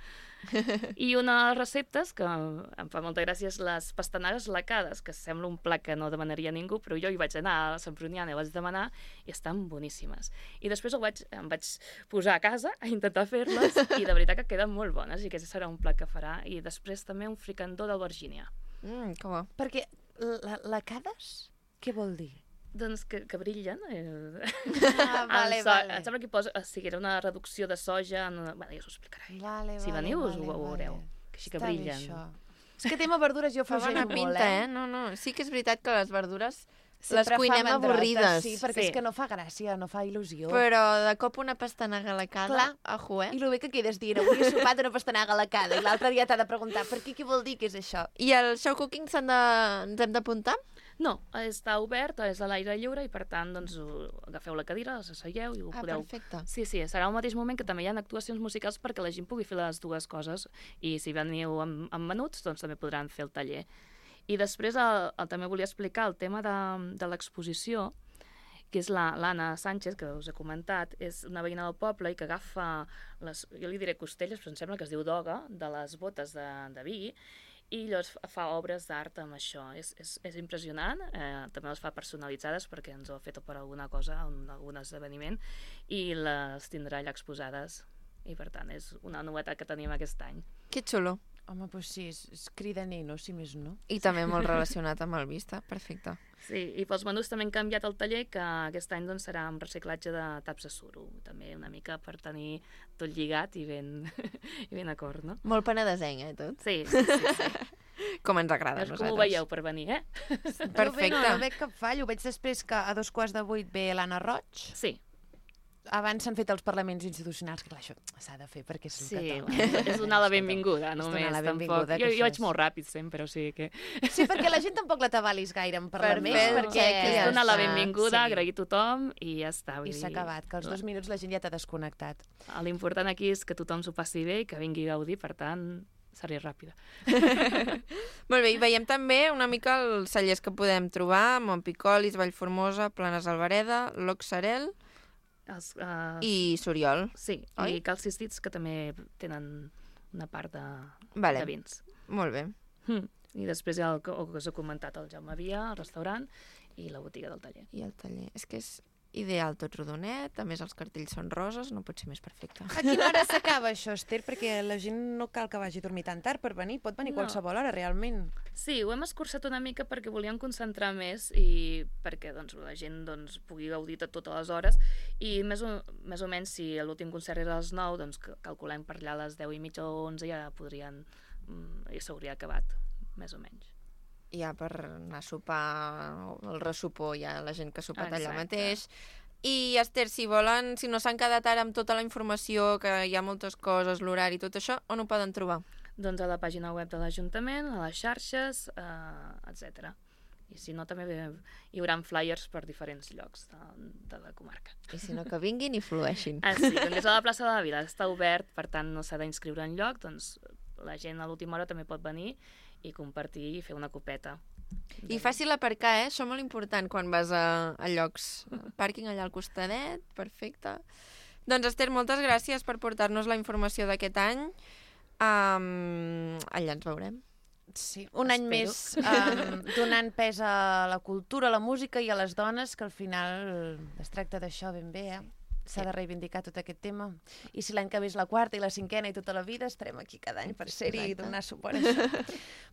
I una de les receptes que em fa molta gràcia és les pastanagues lacades, que sembla un plat que no demanaria ningú, però jo hi vaig anar a Sant Pruniana i vaig demanar i estan boníssimes. I després em vaig posar a casa a intentar fer-les i de veritat que queden molt bones i aquest serà un plat que farà. I després també un fricandó d'albergínia. Que bo. Perquè lacades, què vol dir? Doncs que brillen. Vale. Em sembla que era una reducció de soja. Bueno, ja us ho explicaré. Si veniu us ho veureu. Que així que brillen. És que tema verdures jo fa bona pinta, No, sí que és veritat que les verdures les sempre cuinem avorrides. Sí, perquè és que no fa gràcia, no fa il·lusió. Però de cop una pastanaga lacada, I el bé que quedes dient, avui he sopat una pastanaga lacada, i l'altre dia t'ha de preguntar per què vol dir que és això. I el show cooking ens hem d'apuntar? No, està obert, és a l'aire lliure i per tant doncs, agafeu la cadira, asseieu i ho podeu... Perfecte. Sí, serà al mateix moment que també hi ha actuacions musicals perquè la gent pugui fer les dues coses i si veniu amb menuts doncs també podran fer el taller. I després també volia explicar el tema de l'exposició, que és l'Anna Sánchez, que us he comentat, és una veïna del poble i que agafa jo li diré costelles, però em sembla que es diu doga, de les botes de vi, i llavors fa obres d'art amb això. És impressionant, també les fa personalitzades perquè ens ho ha fet per alguna cosa, en algun esdeveniment, i les tindrà allà exposades. I per tant, és una novetat que tenim aquest any. Que xulo. Home, doncs sí, és cridaner, no? Si més no. I també molt relacionat amb el Vista, perfecte. Sí, i pels menús també hem canviat el taller, que aquest any doncs, serà amb reciclatge de taps de suro, també una mica per tenir tot lligat i ben acord, no? Molt penedesenc, tot? Sí. Com ens agrada a nosaltres. Com ho veieu per venir, Perfecte. No veig cap fall, ho veig després que a 7:15 ve l'Anna Roig. Sí. Abans s'han fet els parlaments institucionals, que clar, això s'ha de fer perquè és sí, catòlic. És donar la benvinguda, només. És donar la benvinguda. Jo vaig molt ràpid sempre, o sigui que... Sí, perquè la gent tampoc la t'avalis gaire en parlaments, perquè... És donar la benvinguda, agrair a tothom i ja està. I s'ha acabat, que als 2 minuts la gent ja t'ha desconnectat. L'important aquí és que tothom s'ho passi bé i que vingui a gaudir, per tant, seré ràpida. Molt bé, i veiem també una mica els cellers que podem trobar, Montpicolis, Vallformosa, Planes Albereda, Loxarel... i Soriol. Sí, oi? I Calcistits, que també tenen una part de vins. Molt bé. I després hi ha el que us he comentat, el Jaume Via, el restaurant i la botiga del taller. I el taller. És que és ideal, tot rodonet, a més els cartells són roses, no pot ser més perfecte. A quina hora s'acaba això, Esther? Perquè la gent no cal que vagi a dormir tan tard per venir, pot venir qualsevol hora, realment. Sí, ho hem escurçat una mica perquè volíem concentrar més i perquè la gent pugui gaudir de totes les hores i més o menys si l'últim concert era a les 9, doncs calculem per allà a les 10:30 o 11 ja s'hauria acabat, més o menys. Ja per anar a sopar, el ressopor, ja la gent que ha sopat allà mateix. I, Esther, si no s'han quedat ara amb tota la informació, que hi ha moltes coses, l'horari i tot això, on ho poden trobar? Doncs a la pàgina web de l'Ajuntament, a les xarxes, etc. I si no, també hi haurà flyers per diferents llocs de la comarca. I si no, que vinguin i flueixin. Sí, com és a la plaça de la Vila, està obert, per tant no s'ha d'inscriure en lloc, doncs la gent a l'última hora també pot venir i compartir i fer una copeta. I fàcil aparcar, Això molt important quan vas a llocs. Pàrquing allà al costadet, perfecte. Doncs, Esther, moltes gràcies per portar-nos la informació d'aquest any. Allà ens veurem. Sí, un any més donant pes a la cultura, a la música i a les dones, que al final es tracta d'això ben bé, S'ha de reivindicar tot aquest tema. I si l'any que ve és la 4ª i la 5ª i tota la vida, estarem aquí cada any per ser-hi i donar suport a això.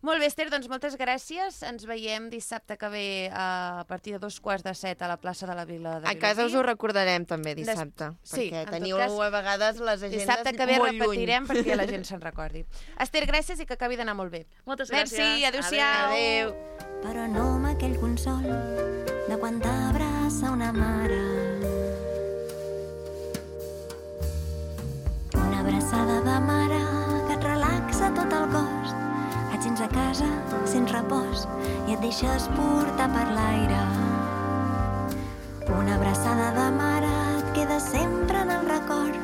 Molt bé, Esther, doncs moltes gràcies. Ens veiem dissabte que ve a partir de 7:15 a la plaça de la Vila de Vilafranca. A casa us ho recordarem també dissabte, perquè teniu a vegades les agendes molt lluny. Dissabte que ve repetirem perquè la gent se'n recordi. Esther, gràcies i que acabi d'anar molt bé. Moltes gràcies. Merci, adéu-siau. Adéu. Però no amb aquell consol de quan t'abraça una mare. Una abraçada de mare que et relaxa tot el cos. Et sents a casa, sents repòs i et deixes portar per l'aire. Una abraçada de mare et queda sempre en el record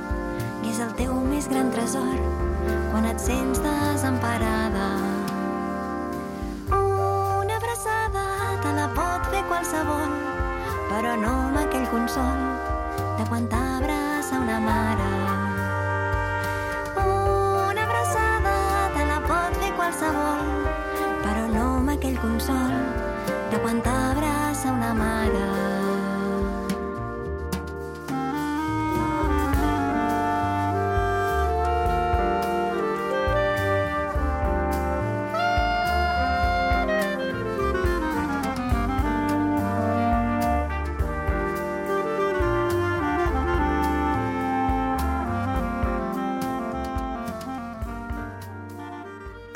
i és el teu més gran tresor quan et sents desemparada. Una abraçada te la pot fer qualsevol, però no amb aquell consol de quan t'abraça una mare. Una abraçada te la pot fer qualsevol, però no amb aquell consol de quan t'abraça una mare.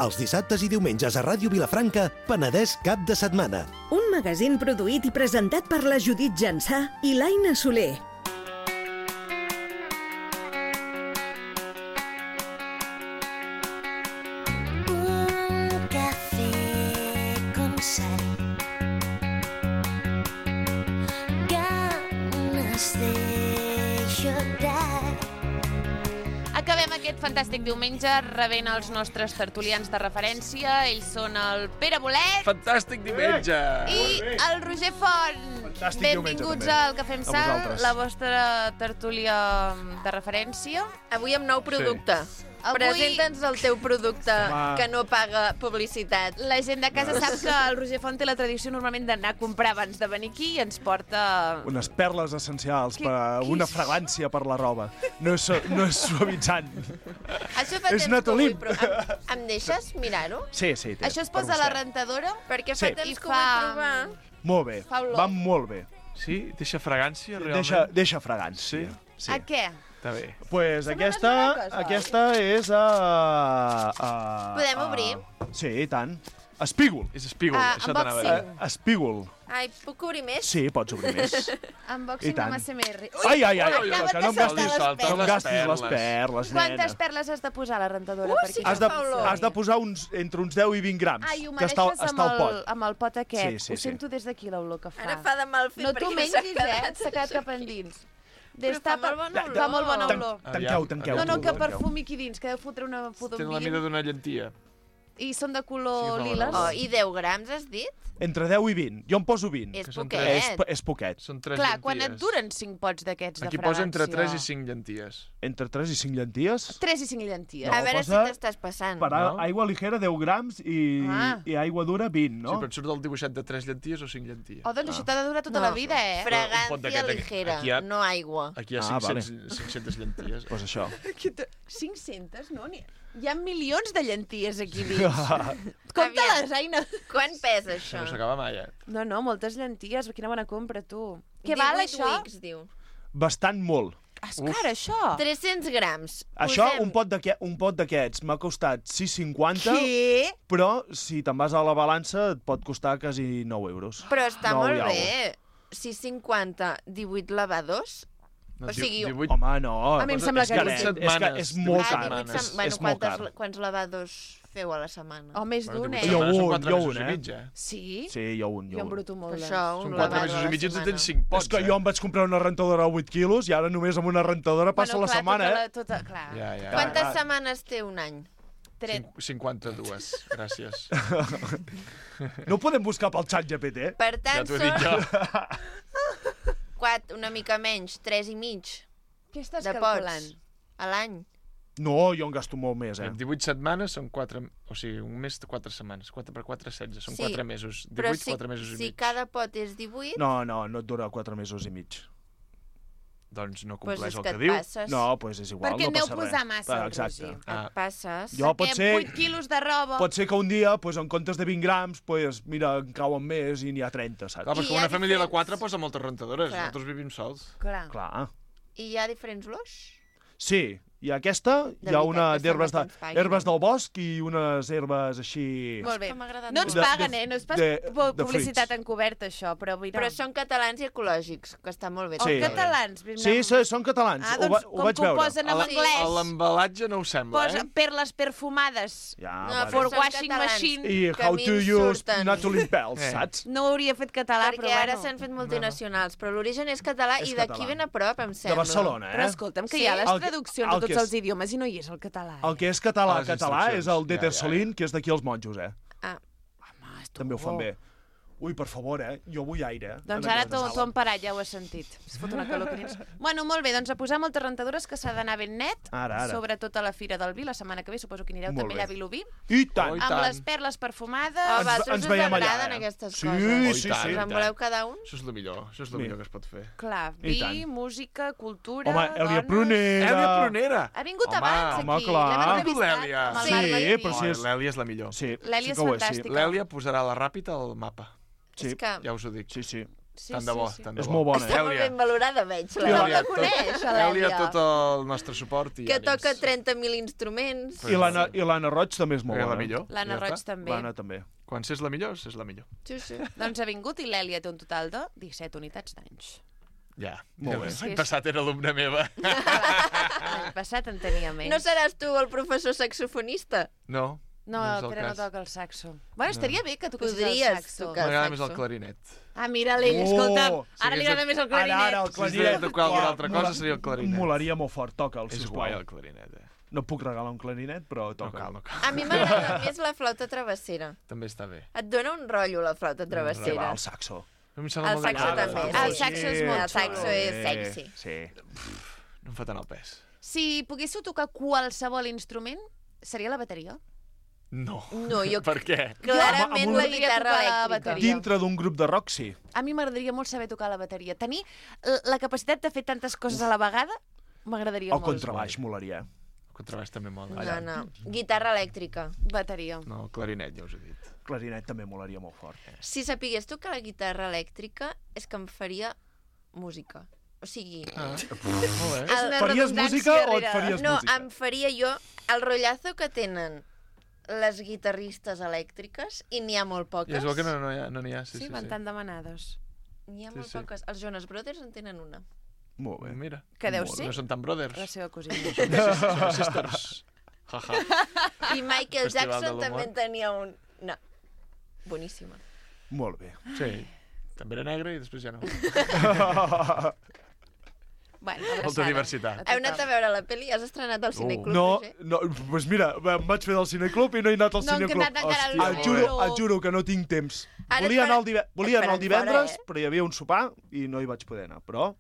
Els dissabtes i diumenges a Ràdio Vilafranca, Penedès cap de setmana. Un magazín produït i presentat per la Judit Jansà i l'Aina Soler. Un cafè con sal, ganes de llorar. acabem aquest fantàstic diumenge rebent els nostres tertulians de referència. Ells són el Pere Bolet. Fantàstic diumenge! I el Roger Font. Fantàstic Benvinguts diumenge, al Cafè amb A Sal, vosaltres. la vostra tertúlia de referència. Avui amb nou producte. Presenta'ns el teu producte Home. que no paga publicitat. La gent de casa sap que el Roger Font té la tradició normalment d'anar a comprar abans de venir aquí i ens porta... Unes perles essencials per a una fragància per la roba. No és suavitzant. Això fa És temps que ho Natolí. vull, però em deixes mirar-ho? Sí, sí. té, Això es per posa a la vostè. rentadora? Perquè Sí. fa temps que ho vull provar. Molt bé, Fa olor. va molt bé. Sí? Deixa fragància, realment? Deixa fragància. Sí. A què? Està bé. Pues Sembla una cosa. aquesta és Podem obrir? Sí, i tant. Espígol. És espígol, això t'anava a dir. Espígol. Ai, puc obrir més? Sí, pots obrir més. Unboxing I tant. amb ASMR. Ai, ai, ai, acaba que de no em saltar gastis, les no em perles. gastis les perles, Quantes nena. perles has de posar a la rentadora? perquè Has això de, fa olor? has de posar entre uns 10 i 20 grams, Ai, ho que està mereixes al pot. amb el pot aquest. Sí, sí, Ho sí. sento des d'aquí, l'olor que fa. Ara fa de mal fer No perquè t'ho s'ha mengis, quedat. S'ha quedat cap endins. Però fa molt bona olor. Fa molt bona olor. Tanqueu. No, que perfumi aquí dins, que deu fotre una pudor Tenen la mida d'una llentia. I són de color Sí, fa liles. Oh, I 10 grams, has dit? Entre 10 i 20. Jo em poso 20. És Que són poquet. És poquet. Són 3 Clar, llenties. quan et duren 5 pots d'aquests de Aquí fragància? posa entre 3 i 5 llenties. Entre 3 i 5 llenties? 3 i 5 llenties. No, A veure si posa t'estàs passant. Per aigua ligera 10 grams i aigua dura 20, no? Sí, però et surt el dibuixet de 3 llenties o 5 llenties. Oh, doncs això t'ha de durar tota No. la vida, eh? Fragància ligera, Aquí hi ha- no aigua. Aquí hi ha Ah, 500 llenties. Pues això. 500, no? Hi ha milions de llenties aquí dins. Compte-les, Aina. Quan pesa això? No s'acaba mai, eh? No, moltes llenties. Quina bona compra, tu. Què 18 val, això? Wicks, diu. Bastant molt. És car, això. 300 grams. Això, Posem- un pot d'aquests m'ha costat 6,50, Què? però si te'n vas a la balança et pot costar quasi 9 euros. Però està 9 molt i alguna. bé. 6,50, 18 lavadors. No, O sigui, 18... Home, no. A mi em sembla és caret, setmanes, és molt car. 18 bueno, És molt car. quants lavadors feu a la setmana? O més d'un, eh? Jo Són un, 4 jo mesos un, i eh? mig, eh? Sí? Sí, jo un. Jo embruto molt. Per això, un Són 4 lavado mesos a i la mig i tu setmana. tens 5 pots, És que jo em vaig comprar una rentadora de 8 quilos i ara només amb una rentadora passa la setmana, eh? Clar. Ja. Quantes setmanes té un any? 52, gràcies. No ho podem buscar pel xat GPT? Per Ja tant, t'ho he dit jo. són 4, una mica menys, 3 i mig Què estàs de calculant? pots a l'any. No, jo en gasto molt més, eh? 18 setmanes són 4... O sigui, un mes de 4 setmanes. 4 per 4, 16. Són Sí, 4 mesos. 18, Però si, 4 mesos i si mig. cada pot és 18, No et dura 4 mesos i mig. Doncs no Pues compleix és el que que et diu. passes. No, doncs és igual, Perquè no aneu passa res. posar massa, el Exacte. Roger. Ah. et passes. Jo pot ser... 8 quilos de roba. Pot ser que un dia, pues, en comptes de 20 grams, pues, mira, en cauen més i n'hi ha 30, saps? Clar, però és que hi ha una família de diferents- 4 posa moltes rentadores. Clar. Nosaltres vivim sols. Clar. Clar. I hi ha diferents olors? Sí, hi ha aquesta, hi ha veritat, una que d'herbes sembla que ens paguin. herbes del bosc i unes herbes així... Molt bé. Que m'ha agradat No ens molt. paguen, no és pas de publicitat fruits. encoberta, això, però mira... Però són catalans i ecològics, que està molt bé. O Sí. catalans. Sí, són catalans, Ah, ho doncs, vaig com que ho veure. posen en A anglès, l'embalatge no ho sembla, posa eh? perles perfumades. Ja, No, vale. For són washing catalans. machine. I que how a mi to em use surten. naturally pels, saps? No ho hauria fet català, Perquè però ara bueno. s'han fet multinacionals, però l'origen és català És i d'aquí català. ben a prop, em De sembla. Barcelona, Però eh? escolta'm, que Sí. hi ha les El que- traduccions el de que tots és- els idiomes i no hi és el català. El que és català, A les català, és el instruccions. Deter Ja. Solín, que és d'aquí els monjos, eh? Ah. També ho fan bé. Ui, per favor, jo vull aire. Doncs en ara aquesta t'ho sala. han parat, ja ho has sentit. Es fot una calor que dins. Bueno, molt bé, doncs a posar moltes rentadores que s'ha d'anar ben net, Ara. sobretot a la Fira del Vi, la setmana que ve, suposo que anireu Molt també bé. allà a Vilobí, I tant! Oh, i amb tant. les perles perfumades. A Ens vosaltres us veiem allà, agraden eh? aquestes Sí, coses? Oh, i sí, tant, sí. i Us en tant. voleu cada un? Això és el millor, això és el Sí. millor que es pot fer. Clar, I vi, tant. música, cultura, Home, Èlia dones... Prunera... Èlia Prunera! Ha vingut Home, abans home, aquí, clar. l'hem Ha vingut entrevistat l'Èlia. amb el Sí, Marc Martí. però si és... L'Èlia és la millor. Sí, L'Èlia és sí que ho és, fantàstica. L'Èlia posarà la ràpida al mapa. Sí. És que... Ja us ho dic. Sí, sí. Sí, Tant de bo, sí. tant de És bo. molt bona, Està molt ben valorada, veig. Èlia, La coneix, a Èlia, l'Èlia. tot el nostre suport i Que ànims. toca 30.000 instruments. I l'Anna Roig també és molt És bona. la millor. L'Anna Ja Roig està. també. L'Anna també. Quan s'és la millor, s'és la millor. Sí, sí. Doncs ha vingut i l'Èlia té un total de 17 unitats d'anys. Ja. Molt bé. L'any passat era alumna meva. L'any passat en tenia menys. No seràs tu el professor saxofonista? No. No, és el Pere no cas. toca el saxo. Bueno, estaria bé que toquessis el Podries saxo. tocar. M'agrada més el clarinet. Ah, mira, l'Èlia, escolta'm. Ara li agrada més el clarinet. Ara, el Si hagués de tocar alguna altra cosa, seria el clarinet. Molaria molt fort, toca'l, És sisplau. guai el clarinet, eh? No puc regalar un clarinet, però toca. No cal. A mi m'agrada més la flauta travessera. També està bé. Et dona un rotllo la flauta travessera. El saxo. El saxo també. El saxo és molt xulo. El saxo és sexy. Sí. No em fa tant el pes. Si poguéssiu tocar qualsevol instrument, seria la bateria? No. No, jo... Per què? Clarament la guitarra elèctrica. Dintre d'un grup de rock, sí. A mi m'agradaria molt saber tocar la bateria. Tenir la capacitat de fer tantes coses a la vegada m'agradaria molt. El contrabaix molaria. El contrabaix també mola. No. Guitarra elèctrica. Bateria. No, clarinet, ja us he dit. Clarinet també molaria molt fort. Si sapigués tocar la guitarra elèctrica, és que em faria música. O sigui... Faries música o et faries no, música? No, em faria jo el rotllazo que tenen les guitarristes elèctriques, i n'hi ha molt poques. I és bo que no n'hi ha, sí, van tan demanades. N'hi ha molt poques. Els Jonas Brothers en tenen una. Molt bé. Mira. Que deu ser? No són tan brothers. La seva cosina. Són sisters. I Michael Jackson també en tenia un... No. Boníssima. Molt bé. Sí. També era negre i després ja no. Bueno, molta diversitat. Heu anat a veure la pel·li? Has estrenat al Cineclub, Roger? No, doncs mira, em vaig fer del Cineclub i no he anat al Cineclub. No hem anat encara al Cineclub. Et juro que no tinc temps. Volia anar el divendres, però hi havia un sopar i no hi vaig poder anar, però...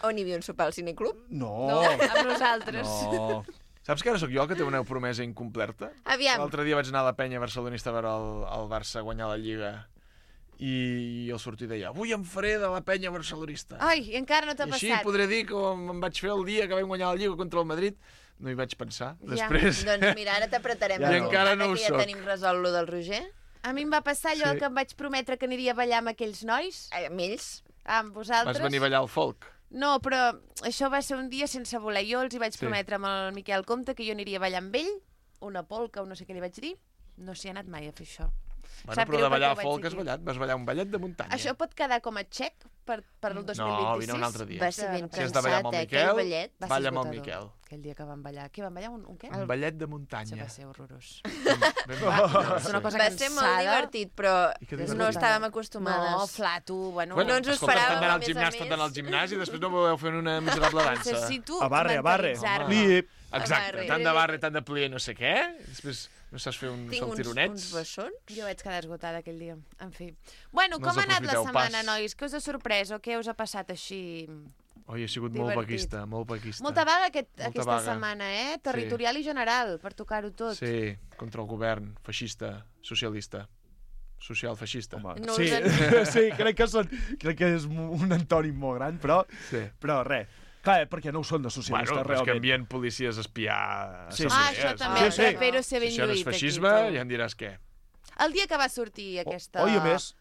On hi havia un sopar al Cineclub? No, amb nosaltres. No. Saps que ara sóc jo, que té una promesa incomplerta? Aviam. L'altre dia vaig anar a la penya barcelonista a veure el Barça guanyar la Lliga i al sortir deia, avui em faré de la penya barcelonista. Ai, i encara no t'ha passat. I així podré dir que em vaig fer el dia que vam guanyar la Lliga contra el Madrid. No hi vaig pensar. Després... Doncs mira, ara t'apretarem. I encara no ho soc. Ja tenim resolt lo del Roger. A mi em va passar allò que em vaig prometre que aniria a ballar amb aquells nois. Amb ells? Amb vosaltres. Vas venir a ballar al folk? No, però això va ser un dia sense voler. Jo els hi vaig prometre amb el Miquel Comte que jo aniria a ballar amb ell, una polca o no sé què li vaig dir. No s'hi ha anat mai a fer això. Bueno, però de ballar a folk has ballat. Vas ballar un ballet de muntanya. Això pot quedar com a xec per el 2026? No, vine un altre dia. Va ser ben si has de ballar amb el Miquel, balla amb el Miquel. Aquell dia que vam ballar. Què vam ballar? Un què? Un ballet de muntanya. Això va ser horrorós. És una cosa va ser molt divertit, però no estàvem acostumades. No, flato, bueno no ens ho esperàvem, a més a més. Tant al gimnàs i després no voleu fer una miserable dansa. Necessito a barre. Exacte, tant de barre, tant de plier, no sé què. Després no saps fer uns saltironets. Tinc uns bessons. Jo vaig quedar esgotada aquell dia. En fi. Bueno, com ha anat la setmana, nois? Què us ha sorprès o què us ha passat així? Oi, ha sigut molt vaguista, molt vaguista. Molta vaga aquesta setmana, territorial i general, per tocar-ho tot. Sí, contra el govern feixista, socialista. Social-feixista. Sí, crec que és un antònim molt gran, però res. Clar, perquè no ho són de socialistes, realment. Bueno, és que envien policies a espiar... això també, però ser ben lluït. Si això no és feixisme, ja em diràs què. El dia que va sortir aquestes dues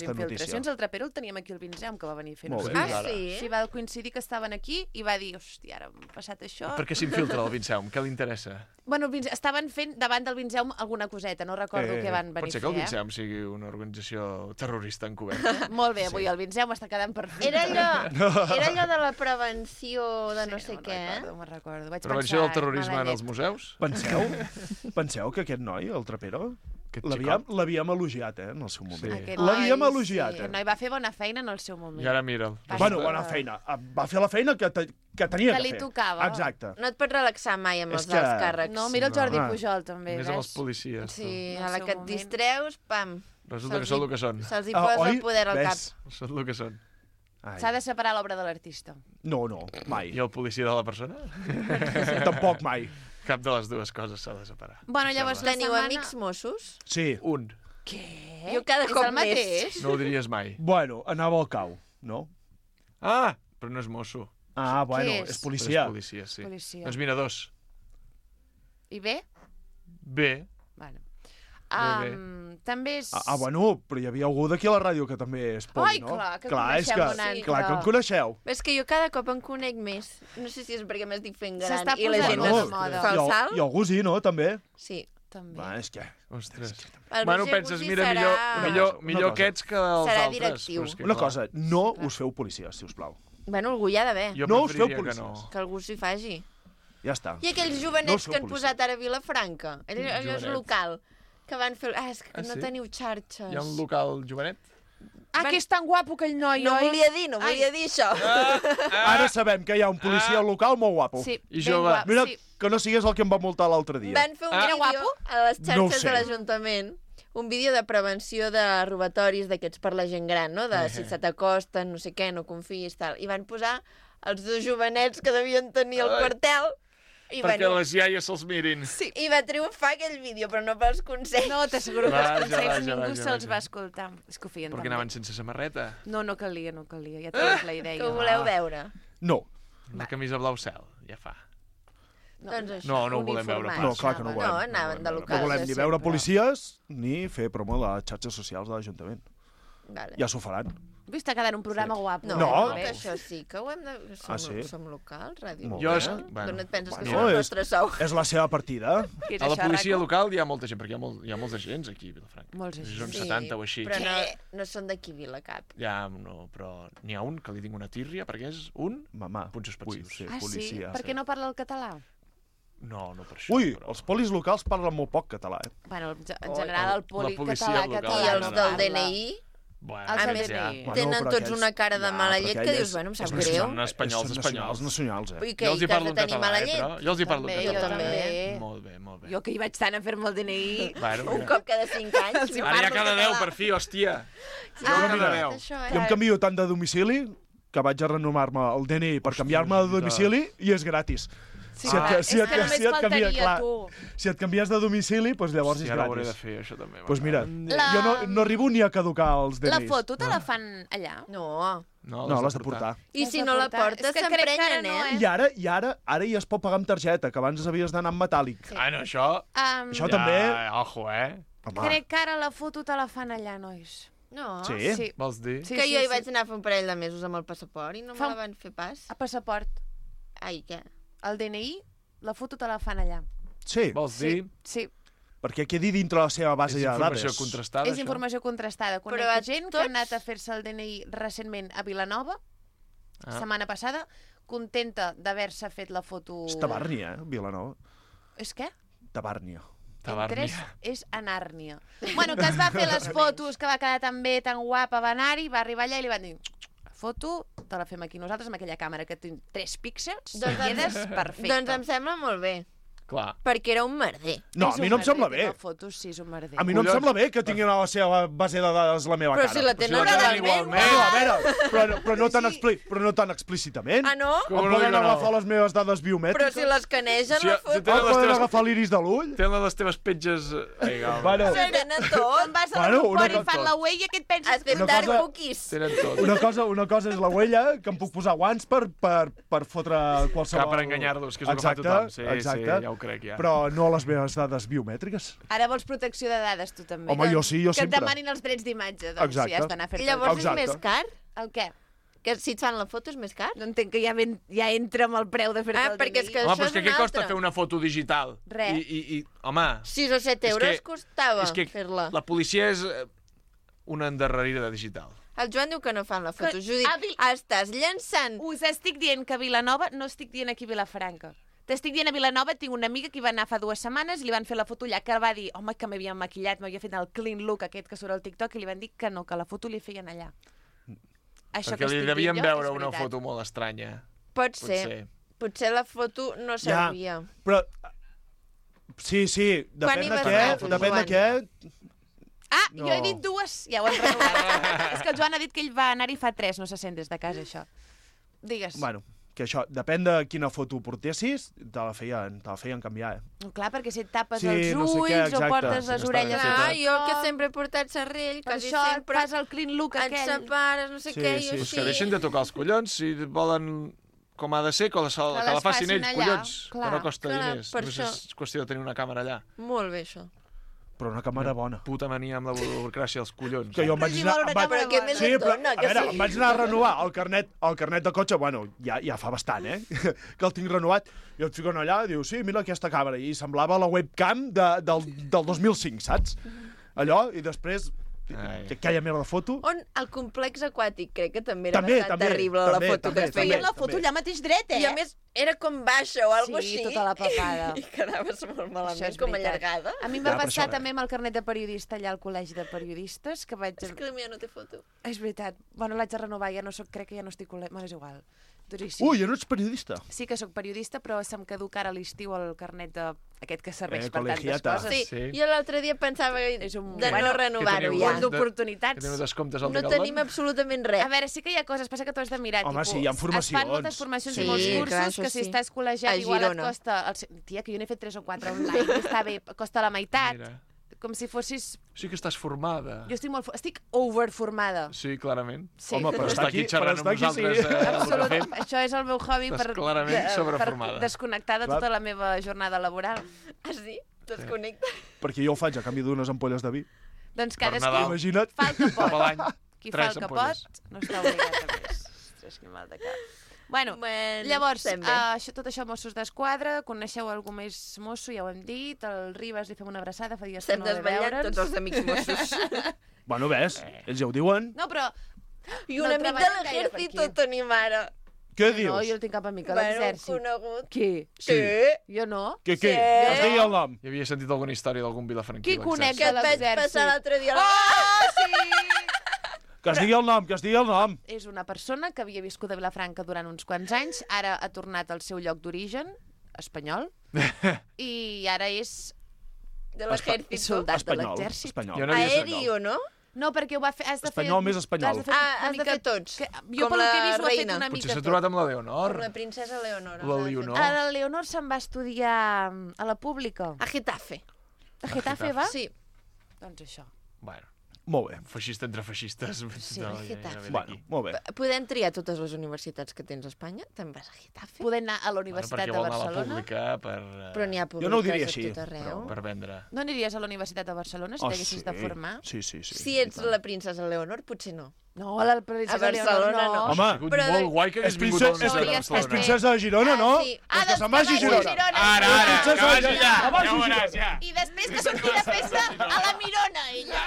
infiltracions, el Trapero el teníem aquí al Vinzeu, que va venir a fer sí? Sí, va coincidir que estaven aquí i va dir, hòstia, ara m'ha passat això. Per què s'infiltra el Vinzeu? Què li interessa? Bueno, estaven fent davant del Vinzeu alguna coseta, no recordo què van venir a fer. Pot ser que el Vinzeu sigui una organització terrorista encoberta. Molt bé, avui el Vinzeu m'està quedant perfecte. Era allò de la prevenció de no sé què. No me'n recordo. Prevenció del terrorisme en els museus? Penseu que aquest noi, el Trapero, l'havíem elogiat, en el seu moment. Sí. L'havíem elogiat. El noi va fer bona feina en el seu moment. I ara mira'l. Bueno, bona feina. Va fer la feina que tenia que fer. Que li tocava. Exacte. No et pots relaxar mai amb els alts càrrecs. No, mira el Jordi Pujol, també. Més amb els policies. Sí, a la que et distreus, pam. Resulta que són el que són. Se'ls hi posa el poder al cap. Són el que són. S'ha de separar l'obra de l'artista. No, mai. I el policia de la persona? Tampoc mai. Cap de les dues coses s'ha de separar. Bueno, llavors teniu amics Mossos? Sí. Un. Què? Jo cada cop el mateix? No ho diries mai. Bueno, anava al cau, no? Ah, però no és mosso. Ah, bueno, és policia. És policia, sí. Policia. Doncs mira, 2. I bé? Bé. Bueno. Bé. També és... bueno, però hi havia algú d'aquí a la ràdio que també és poli, no? Ai, clar, que coneixem un altre. Clar que em coneixeu. És que jo cada cop en conec més. No sé si és perquè m'estic fent gran s'està i la gent posant de moda. fa el salt. I algú sí, no? També. Sí. També. Va, és que... Ostres. Bueno, penses, mira, millor aquests que els serà altres. directiu. Una cosa, no us feu policies, si us plau. Bueno, algú hi ha d'haver. No us feu policies. Que algú s'hi faci. Ja està. I aquells jovenets que han posat ara a Vilafranca. Allò és local. Que van fer... és que no teniu xarxes. Hi ha un local jovenet? que és tan guapo aquell noi, No oi? volia dir això. Ara sabem que hi ha un policia local molt guapo. Sí, I jove. Mira, que no sigués el que em va multar l'altre dia. Van fer un vídeo a les No ho xarxes sé. de l'Ajuntament, un vídeo de prevenció de robatoris d'aquests per la gent gran, no? De si se t'acosten, no sé què, no confiïs, tal. I van posar els 2 jovenets que devien tenir al quartel. I Perquè les iaies se'ls mirin. Sí, i va triomfar aquell vídeo, però no pels consells. No, t'asseguro que els consells ningú vaja. se'ls va escoltar. És que ho feien Perquè anaven sense samarreta. No calia. Ja tenies la idea. Que ho voleu veure? No. Una camisa blau cel, ja fa. Doncs això, No ho volem veure pas. No, clar que no ho volem. No, anaven de No locals. volem ni veure policies ni fer promo de les xarxes socials de l'Ajuntament. Vale. Ja s'ho faran. Està quedant un programa guapo. No. Que això sí, que ho hem de... Som locals, ràdio. Molt Jo bé. és... Bueno, D'on et penses que Bueno, som el és- nostre sou? És la seva partida. a la policia local hi ha molta gent, perquè hi ha molts agents aquí a Vilafranca. Molts agents. Són 70 o així. Però no són d'aquí Vila cap. Ja, no, però n'hi ha un que li tinc una tírria, perquè és un... Mamà. Punts suspensius. Sí, Ah, sí? policia. Per què no parla el català? No per això. Ui, els polis locals parlen molt poc català, Bueno, en general, el poli policia català local. I els no del parla. DNI... Bueno, A més, tenen tots una cara de mala llet que dius, bueno, em sap greu. Són espanyols. nacionals, I que has de tenir mala llet? Jo els hi parlo També, en jo català. també. Molt bé. Jo que hi vaig tant a fer-me el DNI... Bueno, Un cop cada 5 anys. Ara ja cada 10, per fi, hòstia. Sí, Jo cada mira, 10. Jo em canvio tant de domicili que vaig a renovar-me el DNI per canviar-me de domicili i és gratis. Sí, Si et faltaria, tu. Si et canvies de domicili, doncs llavors és ara ho hauré de gratis. fer, això també. Doncs mira, La- jo no arribo ni a caducar els DNIs. La foto te la fan allà? No. No, l'has de portar. I si no la portes, s'emprenyen, eh? I ara ja es pot pagar amb targeta, que abans havies d'anar amb metàl·lic. Ah, no, això... Això també... Ojo, Crec que ara la foto te la fan allà, nois. No. Sí? Vols dir? Que jo hi vaig anar a fer un parell de mesos amb el passaport i no me la van fer pas. A passaport. Ai, què? El DNI, la foto te la fan allà. Sí. Vols dir? Sí. Perquè quedi dintre la seva base de dades. És informació contrastada, És informació contrastada. Conec Però a gent que ha anat a fer-se el DNI recentment a Vilanova, setmana passada, contenta d'haver-se fet la foto... És Tabàrnia, Vilanova. És què? Tabàrnia. Tres és a Nàrnia. Bueno, que es va fer les fotos, que va quedar tan bé, tan guapa, va anar-hi, va arribar allà i li van dir la foto te la fem aquí nosaltres amb aquella càmera que té 3 píxels i quedes perfecte. Doncs em sembla molt bé. Clar. Perquè era un merder. No, a mi no em sembla bé. Fotos, sí, és un merder. A mi no em sembla bé que tinguin a la seva base de dades la meva Però cara. si la tenen igualment. No, a veure, però no tan explícitament. Ah, no? Em poden agafar les meves dades Però biomètriques? si l'escanegen la foto... Em poden agafar l'iris de l'ull? Tenen les teves petges... Bueno, Ho tenen tot. Em vas a Bueno, l'aeroport una i fan cosa- la huella, què et penses? Has fet Una dark cosa- cookies. Tenen tot. una cosa és la huella, que em puc posar guants per fotre qualsevol... Per enganyar-los, que és el que fa tothom. Sí, exacte. ja ho crec, ja. Però no les meves dades biomètriques. Ara vols protecció de dades, tu també. Home, jo sí, jo que sempre. et demanin els drets d'imatge, doncs Exacte. si has d'anar a fer-te... I llavors Exacte. és més car? El què? Que si et fan la foto és més car? No entenc que ja entra amb el preu de fer-te el perquè és que Home, això però és que és què una costa altra. fer una foto digital? Res. I home... 6 o 7 euros costava és que fer-la. la policia és una endarrerida digital. El Joan diu que no fan la foto. Judit, estàs llançant... Us estic dient que a Vilanova, no estic dient aquí a Vilafranca. T'estic dient a Vilanova, tinc una amiga que hi va anar fa 2 setmanes i li van fer la foto allà, que va dir, home, que m'havia maquillat, m'havia fet el clean look aquest que surt al TikTok, i li van dir que no, que la foto li feien allà. Això Perquè que li estic devien dient jo veure és una veritat. foto molt estranya. Pot ser. Potser la foto no servia. Però... Sí, Quan hi depèn de vas què, anar tu, depèn de Joan? què... Ah, No. jo he dit 2, ja ho hem renovat. És que el Joan ha dit que ell va anar-hi fa 3, no se sent des de casa, això. Digues. Bueno, que això, depèn de quina foto portessis, te la feien canviar, Clar, perquè si et tapes Sí, els no sé ulls què, o exacte. portes Sí, les està orelles... ben Ah, feta. jo que sempre he portat serrell, Per quasi això sempre... fas el clean look et aquell. separes, no sé Sí, què, sí. i Pues així. que deixin de tocar els collons, si volen com ha de ser, que la les facin facin ells, allà, collons, clar. que no costa Clar, diners. per Només això. és qüestió de tenir una càmera allà. Molt bé, això. Però una càmera bona. Puta mania amb la burocràcia dels collons. Que jo em vaig si anar... vol una em vaig- càmera què més Sí, et però, dona, a que veure, sí? em vaig anar a renovar el carnet de cotxe, bueno, ja fa bastant, que el tinc renovat, i et fiquen allà i diu, sí, mira aquesta càmera, i semblava la webcam del 2005, saps? Allò, i després aquella meva foto. On el complex aquàtic crec que també era bastant terrible la foto que es feia. La foto allà mateix dret, I a més era com baixa o alguna cosa així. Sí, tota la papada. I quedaves molt malament, com allargada. A mi em va passar també amb el carnet de periodista allà al col·legi de periodistes, que vaig... És que la meva no té foto. És veritat. Bueno, l'haig de renovar, ja no soc, crec que ja no estic col·legi... Bueno, és igual. Ui, ja no ets periodista. Sí que sóc periodista, però se'm caduca ara a l'estiu el carnet aquest que serveix per tantes col·legiata. coses. Sí, jo l'altre dia pensava de no renovar-ho ja. D'oportunitats. Que teniu descomptes al No tenim absolutament res. A veure, sí que hi ha coses, passa que tu has de mirar. Home, sí, hi ha formacions. Es fan moltes formacions i molts cursos que si estàs col·legiat igual et costa... Tia, que jo n'he fet 3 o 4 online, està bé, costa la meitat. Com si fossis... Sí que estàs formada. Jo estic overformada. Sí, clarament. Sí. Home, però estar aquí xerrant amb nosaltres... Absolut. Això és el meu hobby per desconnectar de tota la meva jornada laboral. Ah, sí? Desconnecta? Perquè jo ho faig a canvi d'unes ampolles de vi. Doncs cadascú imagina't. fa el que pot. Cap a l'any, Qui fa el 3 que ampolles. pot no està obligat a més. Ostres, que mal de cap. Bueno, llavors, tot això Mossos d'Esquadra, coneixeu algú més mosso, ja ho hem dit, el Ribas li fem una abraçada, fa dies que no ve veure'ns. tots els amics mossos. Bueno, ves, ells ja ho diuen. No, però... I un amic de l'exèrcit ho tenim ara. Què dius? No, jo no tinc cap amic a l'exèrcit. Conegut. Qui? Sí. Jo no. Què? Que es digui el nom. Ja havia sentit alguna història d'algun vilafranquí. Qui conec Que de et vaig l'exèrcit? passar l'altre dia. Oh, sí! Que es digui el nom, que es digui el nom. És una persona que havia viscut a Vilafranca durant uns quants anys, ara ha tornat al seu lloc d'origen, espanyol, i ara és de l'exèrcit. Soldat de l'exèrcit. Aeri o no? No, perquè ho va fer... Espanyol més espanyol. Has de fer tots. Jo pel que he vist ho ha fet una mica tot. Potser s'ha trobat amb la Leonor. Com la princesa Leonor. La Leonor. La Leonor se'n va estudiar a la pública. A Getafe. A Getafe va? Sí. Doncs això. Bueno. Molt bé. Feixista entre feixistes. Sí, a Getafe. Bueno, molt bé. Podem triar totes les universitats que tens a Espanya? Te'n vas a Getafe? Podem anar a la Universitat de Barcelona? Però n'hi ha jo no ho diria públiques així, a tot arreu. Per vendre. No aniries a la Universitat de Barcelona si t'haguessis de formar? Sí. Si ets la princesa Leonor, potser no. No, a la princesa Barcelona Leonor no. Home, però molt guai que hagués vingut a la Universitat de Barcelona. És princesa de Girona, no? Sí. Doncs que se'n vagi a Girona. Ara, que vagi allà. Ja veuràs, ja. I després que surti de festa a la Mirona, ella.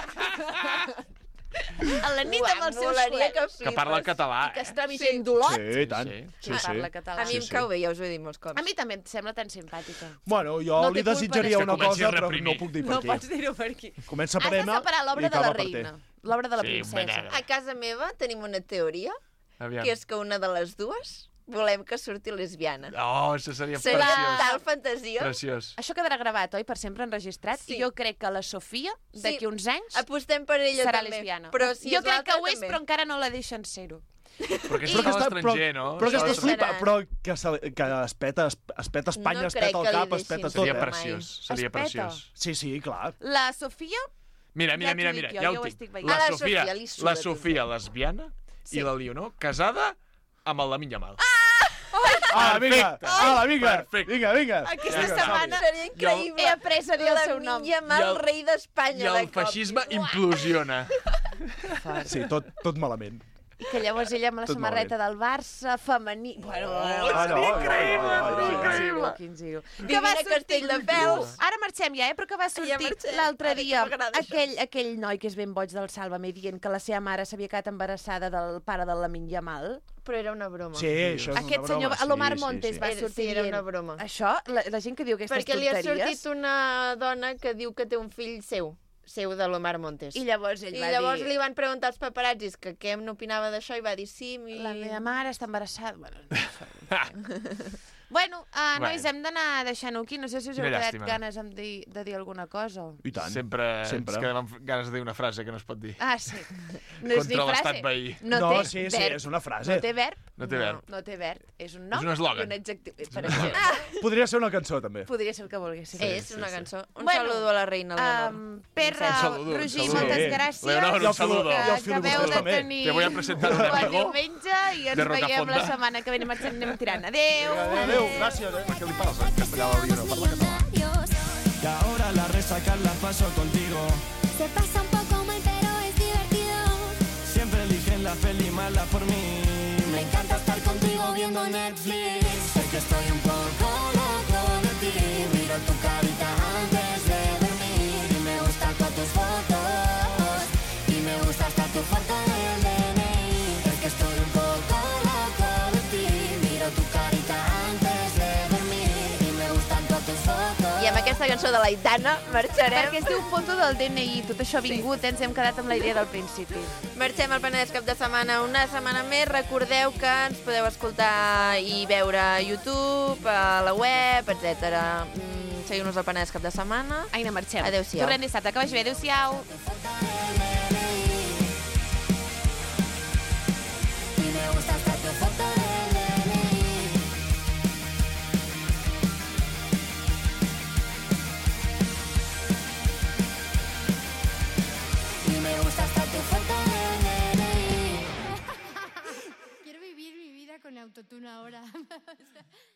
A la nit amb els seus flets. Que parla català. I que es trobi gent d'Olot. Sí, tant. Sí. Parla català. A mi em cau bé, ja us ho he dit molts cops. A mi també em sembla tan simpàtica. Bueno, jo li desitjaria una cosa, però no puc dir per No aquí. pots dir-ho per aquí. Comença per Has Emma de separar l'obra i de la acaba per reina, T. l'obra de la princesa. A casa meva tenim una teoria, Aviam. que és que una de les dues volem que surti lesbiana. Oh, això seria Seria preciós. tal fantasia. Preciós. Això quedarà gravat, oi? Per sempre enregistrat. Sí. I jo crec que la Sofia, d'aquí uns anys, apostem per ella serà també. lesbiana. Però si jo és crec que l'altra, ho és, també. però encara no la deixen ser-ho. Però aquesta està a l'estranger, no? Però que Això es flipa, però que es peta Espanya, No es peta crec el que li cap, es peta deixin tot. Seria mai. preciós, seria Es peta. preciós. Sí, clar. La Sofia... Mira, Ja t'ho dic jo, ja jo ho ho tinc. estic veient. La A la Sofia, Sofia li suda la tot. Sofia lesbiana i la Leonor casada amb el Lamine Yamal. Vinga. Perfecte. Vinga. Aquesta setmana Seria increïble. he après a dir el seu nom. Mal rei I d'Espanya de el cop. feixisme implosiona. Sí, tot malament. I que llavors ella amb la Tot samarreta del Barça, femení... Bueno, increïble. Quin giro. Vivint a Castelldefels. Ara marxem ja, però que va sortir marxem. l'altre Ara que dia m'agrada això. aquell noi que és ben boig del Sálvame dient que la seva mare s'havia quedat embarassada del pare del Lamine Yamal. Però era una broma. Sí, això és una Aquest broma. senyor, l'Omar Montes, sí. va sortir Sí, era dient. una broma. Això, la gent que diu aquestes Perquè li ha tonteries... sortit una dona que diu que té un fill seu de l'Omar Montes. I llavors ell va llavors dir... li van preguntar als paparazzis que què n'opinava d'això i va dir sí, La meva mare està embarassada... Bueno, nois, hem d'anar deixant-ho aquí. No sé si us heu Quina quedat llàstima. ganes de dir alguna cosa. I tant. Sempre ens quedem amb ganes de dir una frase que no es pot dir. Ah, sí. No és ni Contra frase. l'estat veí. No, No, té sí, verb. és una frase. No té verb. No té verb. No té verb. És un nom És un eslògan. i un adjectiu. Per exemple. Podria ser una cançó, també. Podria ser el que volguéssim. És una cançó. Un saludo a la reina Leonor. Perra, saludo, Roger, saludo. moltes gràcies. Leonor, un saludo. I el Que acabeu de també. tenir Te voy a presentar un bon amigo diumenge i ens de veiem Rocafonda. la setmana que ve. Anem tirant. Adéu. Adéu, gràcies. Per què li parles en castellà a la Leonor? Parla català. Y ahora la resaca la paso contigo. Se pasa un poco mal, pero es divertido. Siempre eligen la peli mala por mí. Me encanta estar contigo viendo Netflix. Sé que estoy un poco loco de ti. Miro tu carita antes de dormir y me gustan con tus fotos. Y amb aquesta cançó de l'Aitana marxarem. Perquè es diu foto del DNI, tot això vingut, ens hem quedat amb la idea del principi. Marxem al Penedès cap de setmana, una setmana més. Recordeu que ens podeu escoltar i veure a YouTube, a la web, etc. Seguiu-nos al Penedès cap de setmana. Aina, marxem. Adéu-siau. Tornem dissabte, que vagi bé. Adéu-siau.